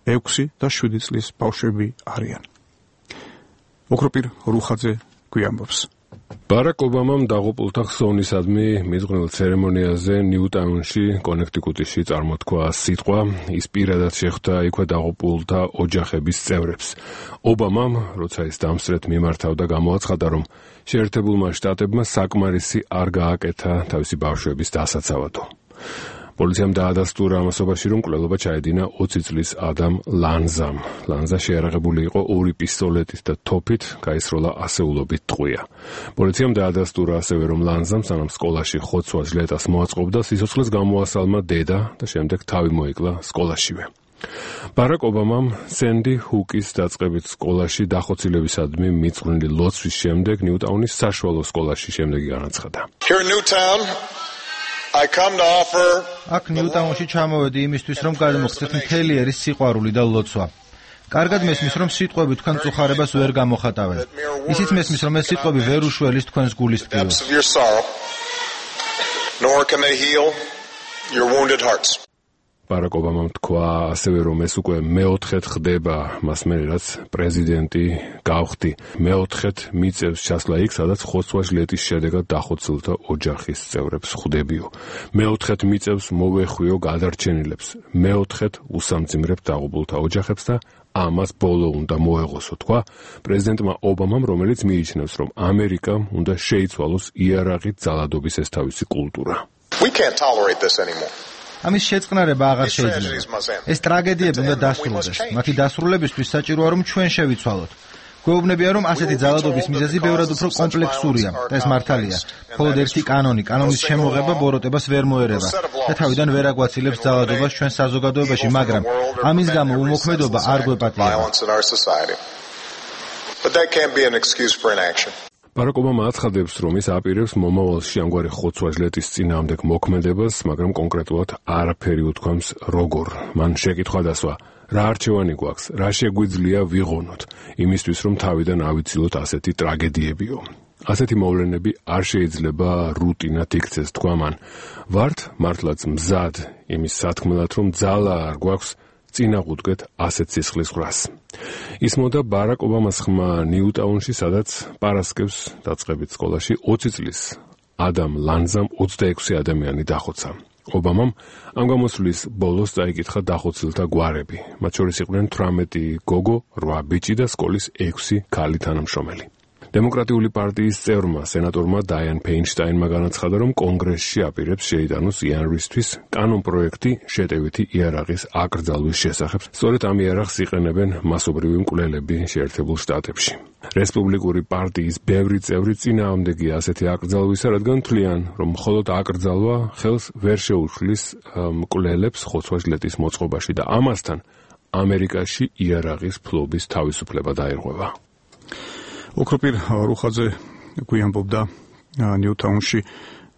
6 და 7 წლის ბავშვები არიან. ოქროპირ რუხაძე გვიამბობს. ბარაკ ობამამ დაღუპულთა ხსოვნისადმი მიზღვნილ ცერემონიაზე ნიუტაუნში, კონექტიკუტში წარმოთქვა სიტყვა, ის პირადად შეხვდა იქვე დაღუპულთა ოჯახების წევრებს. ობამამ, როცა ის დამსწრეთ მიმართავდა, გამოაცხადა, რომ შეერთებულმა შტატებმა საკმარისი არ გააკეთა თავისი ბავშვების დასაცავადო. პოლიციამ დაადასტურა ამასობაში, რომ კვლელობა ჩაედინა 20 წლის ადამ ლანზამ. ლანზა შეარაღებული იყო 2 პისტოლეტით და თოფით, გაისროლა ასეულობით ტყვია. პოლიციამ დაადასტურა ასევე, რომ ლანზამ სანამ სკოლაში ხოცვა ჟლეტას მოაწყობდა, სიცოცხლეს გამოასალმა დედა და შემდეგ თავი მოიკლა სკოლაშივე. ბარაკ ობამამ სენდი ჰუკის დაწყებით სკოლაში დახოცილებისადმი მიწვრილი ლოცვის შემდეგ ნიუტაუნის საშუალო სკოლაში შემდეგი განაცხადა. აქ ნიუტაუნში ჩამოვედი იმისთვის, რომ გადმოგცეთ მთელი ერის სიყვარული და ლოცვა. კარგად მესმის, რომ სიტყვები თქვენ წუხარებას ვერ გამოხატავენ. ისიც მესმის, რომ ეს სიტყვები ვერ უშველის თქვენს გულის ტკივილს. ბარაკ ობამამ თქვა ასევე, რომ ეს უკვე მეოთხედ ხდება, მასმე რაც პრეზიდენტი გავხდი. მეოთხედ მიწევს ჩასვლა იქ, სადაც ხოცვა ჟლეტის შედეგად დახოცილთა ოჯახის წევრებს ხვდებიო. მეოთხედ მიწევს მოვეხვიო გადარჩენილებს. მეოთხედ უსამძიმრებ დაღუპულთა ოჯახებს და ამას ბოლო უნდა მოეღოსო, თქვა პრეზიდენტმა ობამამ, რომელიც მიიჩნევს, რომ ამერიკამ უნდა შეიცვალოს იარაღით ძალადობის ეს თავისი კულტურა. ამის შეწყნარება აღარ შეიძლება. ეს ტრაგედიები უნდა დასრულდეს. მათი დასრულებისთვის საჭიროა, რომ ჩვენ შევიცვალოთ. გვეუბნებიან, რომ ასეთი ძალადობის მიზეზი ბევრად უფრო კომპლექსურია და ეს მართალია. მხოლოდ ერთი კანონის შემოღება ბოროტებას ვერ მოერევა და თავიდან ვერ აგვაცილებს ძალადობას ჩვენ საზოგადოებაში, მაგრამ ამის გამო უმოქმედობა არ გვეპატიება. ბარაკ ობამა აცხადებს, რომ ის აპირებს მომავალში ამგვარი ხოცვა-ჟლეტის წინააღმდეგ მოქმედებას, მაგრამ კონკრეტულად არაფერი უთქვამს როგორ. მან შეკითხვა დასვა, რა არჩევანი გვაქვს, რა შეგვიძლია ვიღონოთ, იმისთვის რომ თავიდან ავიცილოთ ასეთი ტრაგედიებიო. ასეთი მოვლენები არ შეიძლება რუტინად იქცეს, თქვა მან. ვართ მართლაც მზად იმის სათქმელად, რომ ძალა არ გვაქვს წინაღუდგეთ ასეთ სისხლის ხრას. ისმოდა ბარაკ ობამას ხმა ნიუტაუნში, სადაც პარასკევს დაწყებით სკოლაში 20 წლის ადამ ლანზამ 26 ადამიანი დახოცა. ობამამ ამ გამოსვლის ბოლოს დაიკითხა დახოცილთა გვარები. მათ შორის იყვნენ 18 გოგო, 8 ბიჭი და სკოლის 6 ქალი თანამშრომელი. დემოკრატიული პარტიის წევრმა სენატორმა დაიან ფეინშტაინმა განაცხადა, რომ კონგრესში აპირებს შეიტანოს იანვრისთვის კანონპროექტი შეტევითი იარაღის აკრძალვის შესახებ. სწორედ ამ იარაღს იყენებენ მასობრივი მკვლელები შეერთებულ შტატებში. რესპუბლიკური პარტიის ბევრი წევრი წინააღმდეგია ასეთი აკრძალვისა, რადგან თვლიან, რომ მხოლოდ აკრძალვა ხელს ვერ შეუშლის მკვლელებს ხოცვა-ჟლეტის მოწყობაში და ამასთან ამერიკაში იარაღის ფლობის თავისუფლება დაირღვევა. ოქროპირ რუხაძე გვიანბობდა ნიუტაუნში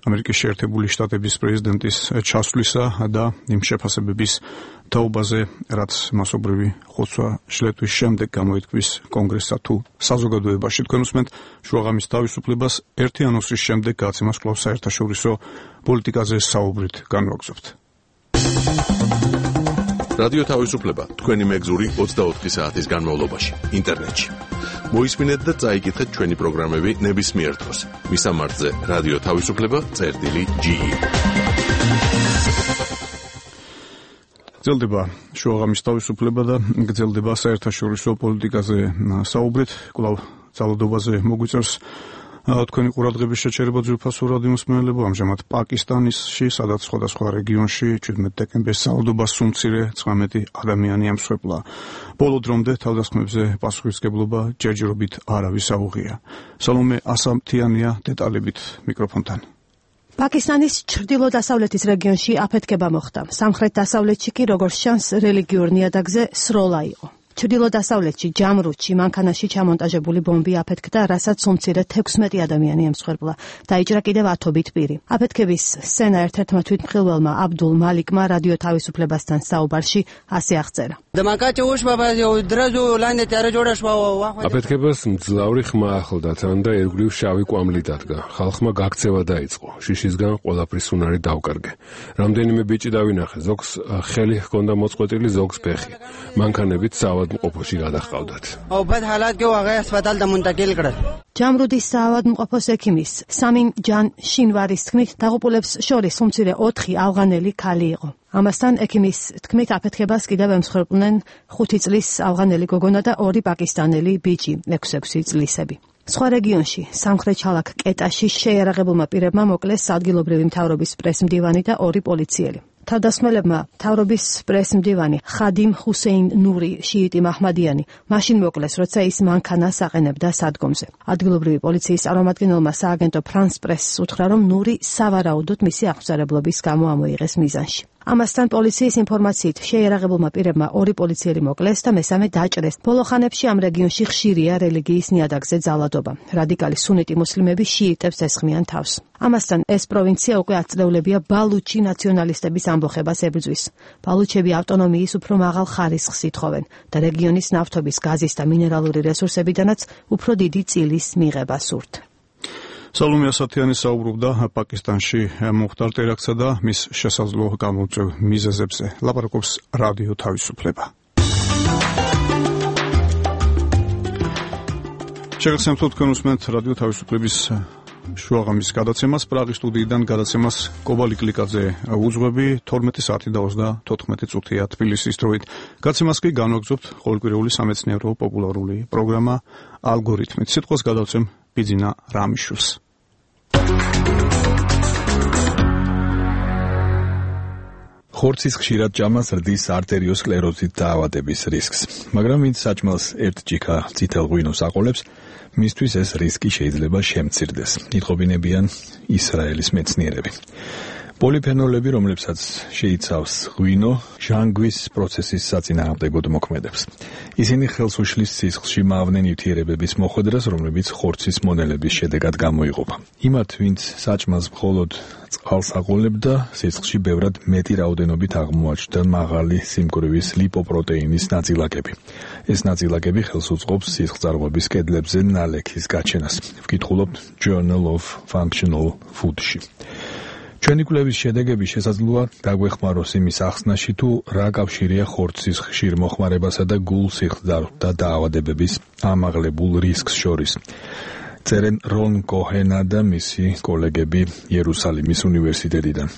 ამერიკის შეერთებული შტატების პრეზიდენტის ჩასვლისა და იმ შეფასებების თაობაზე, რაც მასობრივი ხოცვა-ჟლეტვის შემდეგ გამოითქვის კონგრესსა თუ საზოგადოებაში. თქვენ უსმენთ შუაღამის თავისუფლებას ერთი ანონსის შემდეგ გაცემას კვლავ საერთაშორისო პოლიტიკაზე საუბრით განვაგრძობთ. რადიო თავისუფლება თქვენი მეგზური 24 საათის განმავლობაში ინტერნეტში. მოისმინეთ და წაიკითხეთ ჩვენი პროგრამები ნებისმიერ დროს. მისამართზე რადიო თავისუფლება.ge. გრძელდება შუაღამის თავისუფლება და გრძელდება საერთაშორისო პოლიტიკაზე საუბრით. კვლავ ძალადობაზე მოგვიწერს თქვენი ყურადღების შეჩერება ძვირფასო რადიო მსმენელებო. ამჟამად პაკისტანში, სადაც სხვადასხვა რეგიონში 17 დეკემბერს ძალადობას სულ მცირე 19 ადამიანი ემსხვერპლა. ბოლო დრომდე თავდასხმებზე პასუხისმგებლობა ჯერჯერობით არავის აუღია. სალომე ასამთიანია დეტალებით მიკროფონთან. პაკისტანის ჩრდილო-დასავლეთის რეგიონში აფეთქება მოხდა. სამხრეთ-დასავლეთში კი, როგორც ჩანს, რელიგიურ ნიადაგზე სროლა იყო. ჩრდილო-დასავლეთში ჯამრუდში მანქანაში ჩამონტაჟებული ბომბი აფეთქდა, რასაც უმცირე 16 ადამიანი ემსხვერპლა. დაიჭრა კიდევ 10 ბიტ. აფეთქების სცენა ერთ-ერთმა თვითმხილველმა აბდულ მალიკმა რადიო თავისუფლებასთან საუბარში ასე აღწერა. აფეთქებას მძლავრი ხმა ახლდა თან და ერგვლივ შავი კვამლი დადგა. ხალხმა გაქცევა დაიწყო. შიშისგან ყველაფრის უნარი დავკარგე. რამდენიმე ბიჭი დავინახე, ზოგს ხელი ჰქონდა მოწყვეტილი, ზოგს ფეხი. მანქანებით საავადმყოფოში გადაჰყავდათ. ჯამრუდის საავადმყოფოს ექიმის სამინ ჯან შინვარის თქმით, დაღუპულებს შორის უმცირე 4 ავღანელი ქალი იყო. ამასთან ექიმის თქმით, აფეთქებას კიდევ ემსხვერპლნენ 5 წლის ავღანელი გოგონა და 2 პაკისტანელი ბიჭი, 6 წლისები. სხვა რეგიონში, სამხრეთ ქალაქ კეტაში შეიარაღებულმა პირებმა მოკლეს ადგილობრივი მთავრობის პრესმდივანი და 2 პოლიციელი. თავდასხმელებმა მთავრობის პრესმდივანი ხადიმ ჰუსეინ ნური შიიტი მაჰმადიანი მაშინ მოკლეს, როცა ის მანქანას აყენებდა სადგომზე. ადგილობრივი პოლიციის წარმომადგენელმა სააგენტო ფრანს პრესს უთხრა, რომ ნური სავარაუდოდ მისი აღწერებლობის გამო ამოიღეს მიზანში. ამასთან პოლიციის ინფორმაციით შეიარაღებულმა პირებმა 2 პოლიციელი მოკლეს და მესამე დაჭრეს. ბოლო ხანებში ამ რეგიონში ხშირია რელიგიის ნიადაგზე ძალადობა. რადიკალი სუნიტი მუსლიმები შიიტებს ესხმიან თავს. ამასთან ეს პროვინცია უკვე აწლეულებია ბალუჩი ნაციონალისტების ამბოხებას ებრძვის. ბალუჩები ავტონომიის უფრო მაღალ ხარისხს ითხოვენ და რეგიონის ნავთობის, გაზის და მინერალური რესურსებიდანაც უფრო დიდი წილის მიღება სურთ. სალომე ასათიანი საუბრობდა პაკისტანში მომხდარ ტერაქტსა და მის შესაძლო გამოწვევ მიზეზებზე. ლაპარაკობს რადიო თავისუფლება. შეგახსენებთ, თქვენ უსმენთ რადიო თავისუფლების შუაღამის გადაცემას. პრაღის სტუდიიდან გადაცემას კობალი კლიკაძე უძღვები. 12 საათი და 34 წუთია თბილისის დროით. გადაცემას კი განვაგრძობთ ყოველკვირეული სამეცნიერო პოპულარული პროგრამა ალგორითმით. სიტყვას გადავცემ ბიძინა რამიშვილს. ხორცის ხშირად ჭამა ზრდის არტერიოსკლეროზით დაავადების რისკს, მაგრამ ვინც საჭმელს ერთ ჭიქა წითელ ღვინოს აყოლებს, მისთვის ეს რისკი შეიძლება შემცირდეს, იტყობინებიან ისრაელის მეცნიერები. პოლიფენოლები, რომლებსაც შეიცავს ღვინო, ჟანგვის პროცესის საწინააღმდეგოდ მოქმედებს. ისინი ხელს უშლის სისხლში მავნე ნივთიერებების მოხვედრას, რომლებიც ხორცის მონელების შედეგად გამოიყოფა. იმათ, ვინც საჭმელს მხოლოდ წყალს აყოლებდა, სისხლში ბევრად მეტი რაოდენობით აღმოაჩნდა მაღალი სიმკვრივის ლიპოპროტეინის ნაწილაკები. ეს ნაწილაკები ხელს უწყობს სისხლძარღვების კედლებზე ნალექის გაჩენას. ვკითხულობთ Journal of Functional Food-ში. ჩვენი კვლევის შედეგები შესაძლოა დაგვეხმაროს იმის ახსნაში, თუ რა კავშირია ხორცის ხშირ მოხმარებასა და გულ სისხლძარღვთა დაავადებების ამაღლებულ რისკს შორის. წერენ რონ კოჰენა და მისი კოლეგები იერუსალიმის უნივერსიტეტიდან.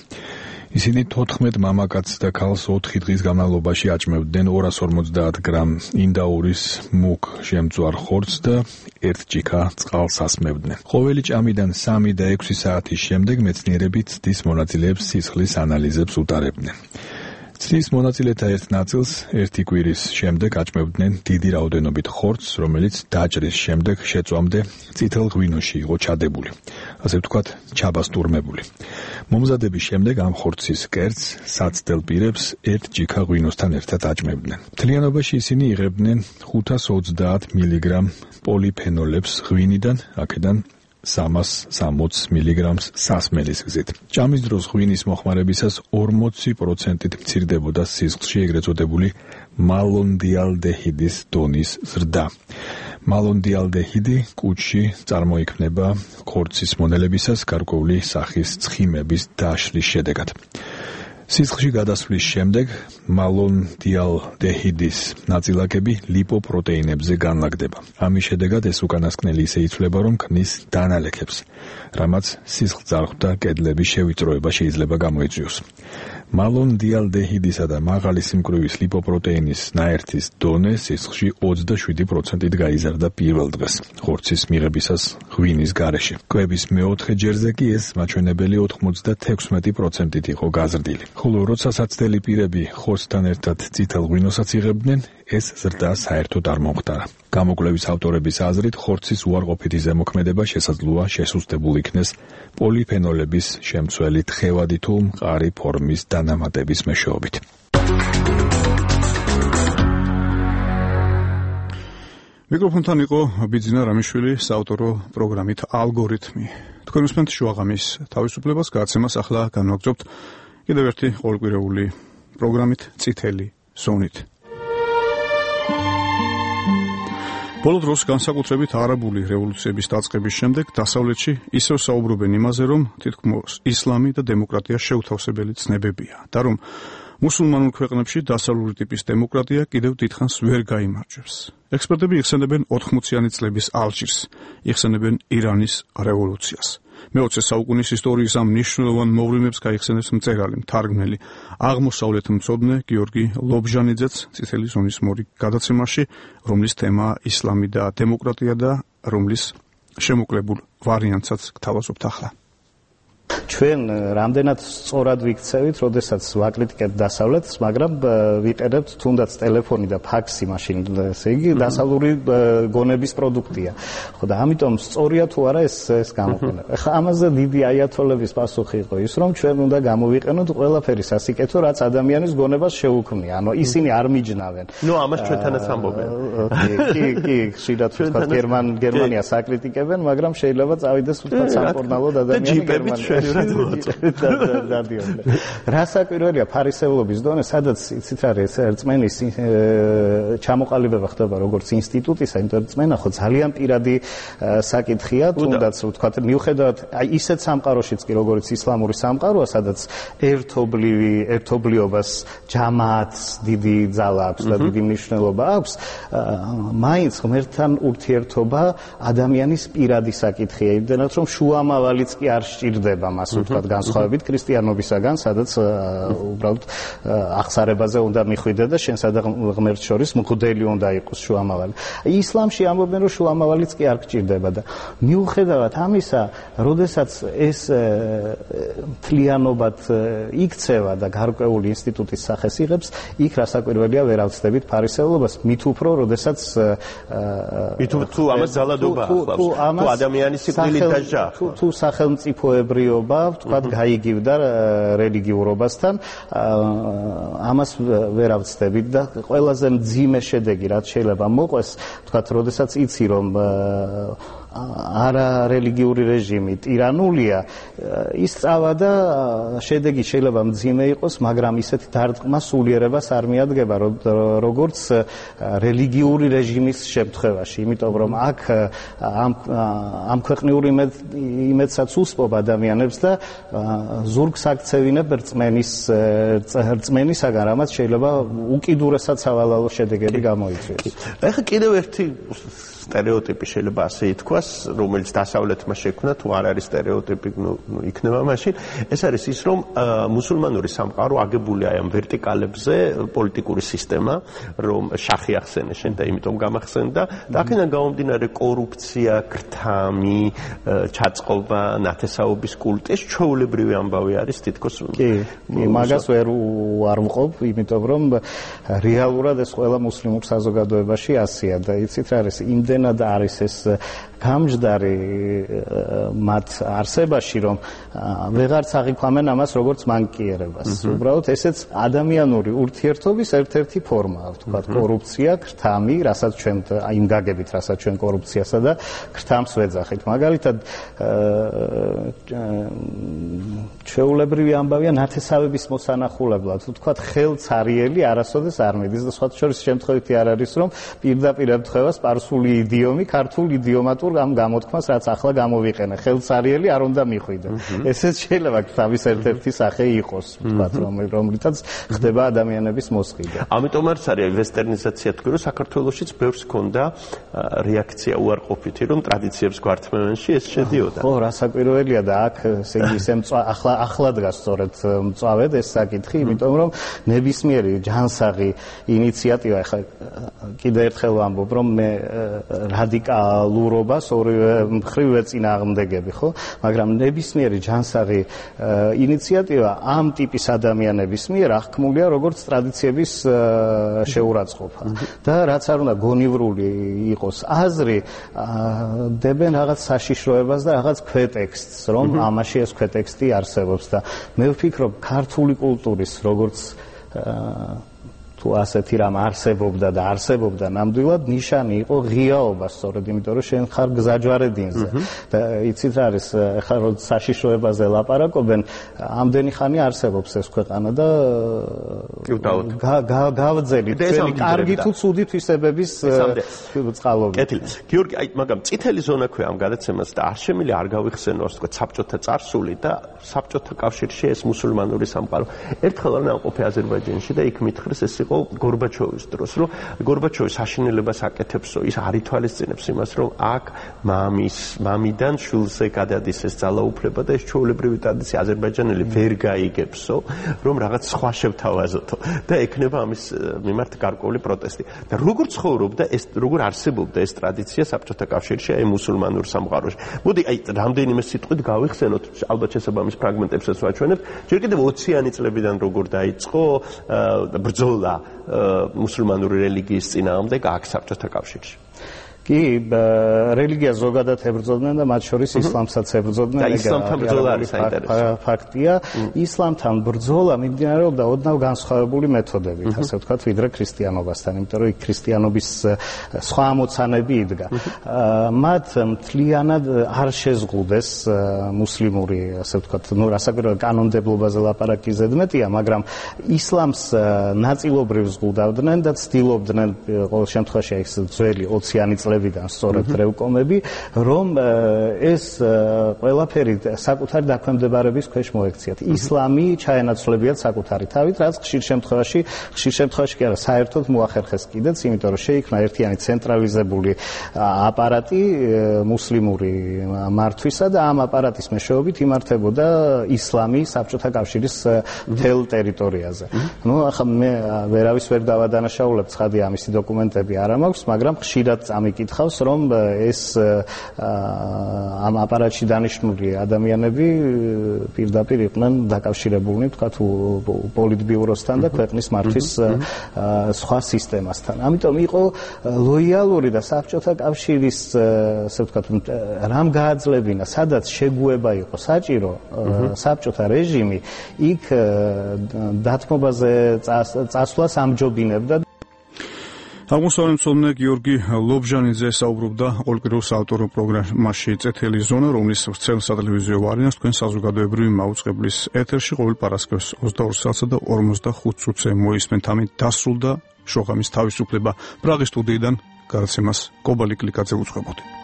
ისინი 14 მამაკაცს და ქალს 4 დღის განმავლობაში აჭმევდნენ 250 გრამ ინდაურის მუქ შემწვარ ხორცს და 1 ჭიქა წყალს ასმევდნენ. ყოველი ჭამიდან 3 და 6 საათის შემდეგ მეცნიერები ცდის მონაწილეებს სისხლის ანალიზებს უტარებდნენ. ცდის მონაწილეთა ერთ ნაწილს 1 კვირის შემდეგ აჭმევდნენ დიდი რაოდენობით ხორცს, რომელიც დაჭრის შემდეგ შეწვამდე წითელ ღვინოში იყო ჩადებული, ასე ვთქვათ, ჩაბასტურმებული. მომზადების შემდეგ ამ ხორცის კერძს საცდელ პირებს 1 ჭიქა ღვინოსთან ერთად აჭმევდნენ. მთლიანობაში ისინი იღებდნენ 530 მილიგრამ პოლიფენოლებს ღვინიდან, აქედან 360 მილიგრამს სასმელის გზით. ჭამის დროს ღვინის მოხმარებისას 40%-ით მცირდებოდა სისხლში ეგრეთ წოდებული მალონდიალდეჰიდის დონის ზრდა. მალონდიალდეჰიდი კუჭში წარმოიქმნება ხორცის მონელებისას გარკვეული სახის ცხიმების დაშლის შედეგად. სისხლში გადასვლის შემდეგ მალონდიალდეჰიდის ნაწილაკები ლიპოპროტეინებზე განლაგდება. ამის შედეგად ეს უკანასკნელი ისე იცვლება, რომ ქმნის დანალექებს, რამაც სისხლძარღვთა კედლების შევიწროება შეიძლება გამოიწვიოს. მალონდიალდეჰიდისა და მაღალი სიმკვრივის ლიპოპროტეინის ნაერთის დონე სისხლში 27%-ით გაიზარდა პირველ დღეს ხორცის მიღებისას ღვინის გარეშე. კვების მეოთხე ჯერზე კი ეს მაჩვენებელი 96%-ით იყო გაზრდილი. ხოლო როცა საცდელი პირები ხორცთან ერთად წითელ ღვინოსაც იღებდნენ, ეს ზრდა საერთოდ არ მომხდარა. გამოკვლევის ავტორების აზრით, ხორცის უარყოფითი ზემოქმედება შესაძლოა შესუსტებულ იქნეს პოლიფენოლების შემცველი თხევადი თუ მყარი ფორმის დანამატების მეშვეობით. მიკროფონთან იყო ბიძინა რამიშვილი საავტორო პროგრამით ალგორითმი. თქვენ უსმენთ შუაღამის თავისუფლებას, გადაცემას ახლა განვაგრძობთ კიდევ ერთი ყოველკვირეული პროგრამით წითელი ზონით. ბოლო დროს განსაკუთრებით არაბული რევოლუციების დაწყების შემდეგ დასავლეთში ისევ საუბრობენ იმაზე, რომ თითქმის ისლამი და დემოკრატია შეუთავსებელი ცნებებია და რომ მუსულმანურ ქვეყნებში დასავლური ტიპის დემოკრატია კიდევ დიდხანს ვერ გაიმარჯვებს. ექსპერტები იხსენებენ 80-იანი წლების ალჟირს, იხსენებენ ირანის რევოლუციას. მე-20 საუკუნის ისტორიის ამ მნიშვნელოვან მოვლენებს გაიხსენებს მწერალი, მთარგმნელი, აღმოსავლეთ მცოდნე გიორგი ლობჟანიძეც წითელი ზონის მორი გადაცემაში, რომლის თემაა ისლამი და დემოკრატია და რომლის შემოკლებულ ვარიანტსაც გთავაზობთ ახლა. ჩვენ რამდენად სწორად ვიქცევით, როდესაც ვაკრიტიკებთ დასავლეთს, მაგრამ ვიყენებთ თუნდაც ტელეფონი და ფაქსი მაშინ, ესე იგი, დასავლური გონების პროდუქტია. ხო და ამიტომ სწორია თუ არა ეს გამოყენება. ეხლა ამაზე დიდი აიათოლების პასუხი იყო ის, რომ ჩვენ უნდა გამოვიყენოთ ყველაფერი სასიკეთო, რაც ადამიანის გონებას შეუქმნია. ანუ ისინი არ მიჯნავენ. ნუ ამას ჩვენთანაც ამბობენ. კი, ხშირად ვთქვათ გერმანიას აკრიტიკებენ, მაგრამ შეიძლება წავიდეს ვთქვათ სამკურნალოდ ადამიანი გერმანიაში. რა საკვირველია ფარისევლობის დონე, სადაც იცით რა ეს რწმენის ჩამოყალიბება ხდება როგორც ინსტიტუტისა, რწმენა ხო ძალიან პირადი საკითხია, თუნდაც ვთქვათ მიუხედავად ისეთ სამყაროშიც კი როგორც ისლამური სამყაროა, სადაც ერთობლიობას, ჯამაათს დიდი ძალა აქვს და დიდი მნიშვნელობა აქვს, მაინც ღმერთთან ურთიერთობა ადამიანის პირადი საკითხია, იმდენად რომ შუამავალიც კი არ სჭირდება მას პასუხი თქვა განსხვავებით ქრისტიანობისაგან, სადაც უბრალოდ აღსარებაზე უნდა მიხვიდე და შენსა და ღმერთს შორის მღვდელი უნდა იყოს შუამავალი. ისლამში ამბობენ, რომ შუამავალიც კი არ გჭირდება და მიუხედავად ამისა, როდესაც ეს მთლიანობად იქცევა და გარკვეული ინსტიტუტის სახეს იღებს, იქ რასაკვირველია ვერ ავწდებით ფარისევლობას, მით უფრო, როდესაც თუ ამას ძალადობა ახლავს, თუ ადამიანის სიკვდილით დაჟა. თუ სახელმწიფოებრიობა, ვთქვათ, გაიგივდა რელიგიურობასთან, ამას ვერ ავწდებით და ყველაზე მძიმე შედეგი, რაც შეიძლება მოყვეს, ვთქვათ, როდესაც იცი, რომ არა რელიგიური რეჟიმი ტირანულია, ის წავა და შედეგი შეიძლება მძიმე იყოს, მაგრამ ისეთი დარტყმა სულიერებას არ მიადგება, როგორც რელიგიური რეჟიმის შემთხვევაში, იმიტომ რომ აქ ამ ქვეყნიურ იმედსაც უსპობ ადამიანებს და ზურგს აქცევინებ რწმენისაგან, რამაც შეიძლება უკიდურესად სავალალო შედეგები გამოიწვიოს. ეხლა კიდევ ერთი სტერეოტიპი შეიძლება ასე ითქვას, რომელიც დასავლეთმა შექმნა, თუ არ არის სტერეოტიპი, იქნება მაშინ. ეს არის ის, რომ მუსულმანური სამყარო აგებულია ამ ვერტიკალებზე, პოლიტიკური სისტემა, რომ შახი ახსენე შენ და იმიტომ გამახსენდა, და აქედან გამომდინარე კორუფცია, ქრთამი, ჩაწყობა, ნათესაობის კულტი, ეს ჩვეულებრივი ამბავი არის თითქოს. კი, მაგას ვერ ვუარმყოფ, იმიტომ რომ რეალურად ეს ყველა მუსლიმურ საზოგადოებაში ასია და იცით რა არის, იმდენად არის ეს გამჯდარი მათ არსებაში, რომ ვეღარც აღიქვამენ ამას როგორც მანკიერებას. უბრალოდ ესეც ადამიანური ურთიერთობის ერთ-ერთი ფორმაა, ვთქვათ, კორუფცია, ქრთამი, რასაც ჩვენ იმ გაგებით, რასაც ჩვენ კორუფციასა და ქრთამს ვეძახით. მაგალითად, ჩვეულებრივი ამბავია ნათესავების მოსანახულებლად, ვთქვათ, ხელცარიელი არასოდეს არ მიდის და სხვა შორის შემთხვევითი არ არის, რომ პირდაპირ ემთხვევა სპარსული იდიომი ქართულ იდიომატურ ამ გამოთქმას, რაც ახლა გამოვიყენე, ხელცარიელი არ უნდა მიხვიდე. ესეც შეიძლება თავის ერთ-ერთი სახე იყოს, ვთქვათ, რომლითაც ხდება ადამიანების მოსყიდვა. ამიტომ არის ვესტერნიზაცია თქვი, რომ საქართველოშიც ბევრს ჰქონდა რეაქცია უარყოფითი, რომ ტრადიციებს გვართმევენში ეს შედიოდა. ხო, რასაკვირველია და აქ ესე იგი ახლა დგას სწორედ მწვავედ ეს საკითხი, იმიტომ რომ ნებისმიერი ჯანსაღი ინიციატივა, ახლა კიდე ერთხელ ვამბობ, რომ მე რადიკალურობას ორივე მხრივ ეწინააღმდეგები, ხო? მაგრამ ნებისმიერი ჯანსაღი ინიციატივა ამ ტიპის ადამიანების მიერ აღქმულია როგორც ტრადიციების შეურაცხყოფა. და რაც არ უნდა გონივრული იყოს აზრი, დებენ რაღაც საშიშროებას და რაღაც ქვეტექსტს, რომ ამაში ეს ქვეტექსტი არსებობს და მე ვფიქრობ, ქართული კულტურის როგორც თუ ასეთი რამ არსებობდა და არსებობდა ნამდვილად, ნიშანი იყო ღიაობა, სწორედ იმიტომ რომ შენ ხარ გზაჯვარედინზე. და იცით რა არის, ახლა როდის საშიშროებაზე ლაპარაკობენ, ამდენი ხანი არსებობს ეს ქვეყანა და გავძელით ჩვენი კარგი თუ ცუდი თვისებების წყალობით. კეთილი. გიორგი, მაგრამ წითელი ზონა ქვია ამ გადაცემას და არ შემიძლია არ გავიხსენო, ასე ვთქვათ, საბჭოთა წარსული და საბჭოთა კავშირში ეს მუსულმანური სამყარო. ერთხელ არ ნამყოფი აზერბაიჯანში და იქ მითხრეს ეს გორბაჩოვის დროს, რომ გორბაჩოვის აშენელებას აკეთებსო, ის არ ითვალისწინებს იმას, რომ აქ მამიდან შვილზე გადადის ეს ძალაუფლება და ეს ჩვეულებრივი ტრადიცია აზერბაიჯანელი ვერ გაიგებსო, რომ რაღაც სხვა შევთავაზოთო და ექნება ამის მიმართ გარკვეული პროტესტი. და როგორ ცხოვრობდა ეს, როგორ არსებობდა ეს ტრადიცია საბჭოთა კავშირში, აი მუსულმანურ სამყაროში. მოდი, აი რამდენიმე სიტყვით გავიხსენოთ, ალბათ შესაბამის ფრაგმენტებსაც ვაჩვენებთ. ჯერ კიდევ 20-იანი წლებიდან როგორ დაიწყო ბრძოლა მუსულმანური რელიგიის წინააღმდეგ აქ საბჭოთა კავშირში. კი, რელიგიას ზოგადად ებრძოდნენ და მათ შორის ისლამსაც ებრძოდნენ. და ისლამთან ბრძოლა არის საინტერესო. ფაქტია, ისლამთან ბრძოლა მიმდინარეობდა ოდნავ განსხვავებული მეთოდებით, ასე ვთქვათ, ვიდრე ქრისტიანობასთან, იმიტომ რომ იქ ქრისტიანობის სხვა ამოცანები იდგა. მათ მთლიანად არ შეზღუდეს მუსლიმური, ასე ვთქვათ, რასაკვირველია კანონმდებლობაზე ლაპარაკი ზედმეტია, მაგრამ ისლამს ნაწილობრივ ზღუდავდნენ და ცდილობდნენ ყოველ შემთხვევაში ეს ძველი 20-იანი წლები წლებიდან სწორედ დრევკომები, რომ ეს ყველაფერი საკუთარი დაქვემდებარების ქვეშ მოექციათ. ისლამი ჩაენაცვლებიათ საკუთარი თავით, რაც ხშირ შემთხვევაში კი არა, საერთოდ მოახერხეს კიდეც, იმიტომ რომ შეიქმნა ერთიანი ცენტრალიზებული აპარატი მუსლიმური მართვისა და ამ აპარატის მეშვეობით იმართებოდა ისლამი საბჭოთა კავშირის მთელ ტერიტორიაზე. ახლა მე ვერავის ვერ დავადანაშაულებ, ცხადია ამისი დოკუმენტები არ მაქვს, მაგრამ ხშირად წამიკითხავს, რომ ეს ამ აპარატში დანიშნული ადამიანები პირდაპირ იყვნენ დაკავშირებულნი, თქვათ, პოლიტბიუროსთან და ქვეყნის მართვის სხვა სისტემასთან. ამიტომ იყო ლოიალური და საბჭოთა კავშირის, ასე ვთქვათ, რამ გააძლებინა, სადაც შეგუება იყო საჭირო, საბჭოთა რეჟიმი იქ დათმობაზე წასვლას ამჯობინებდა. აღმოსავლეთმცოდნე გიორგი ლობჟანიძე საუბრობდა ყოველკვირეულ საავტორო პროგრამაში წითელი ზონა, რომლის ვრცელ სატელევიზიო ვარიანტს თქვენ საზოგადოებრივი მაუწყებლის ეთერში ყოველ პარასკევს 22 საათსა და 45 წუთზე მოისმენთ. ამით დასრულდა შოხამის თავისუფლება. პრაღის სტუდიიდან გადაცემას კობალი კლიკაძე უძღვებოდი.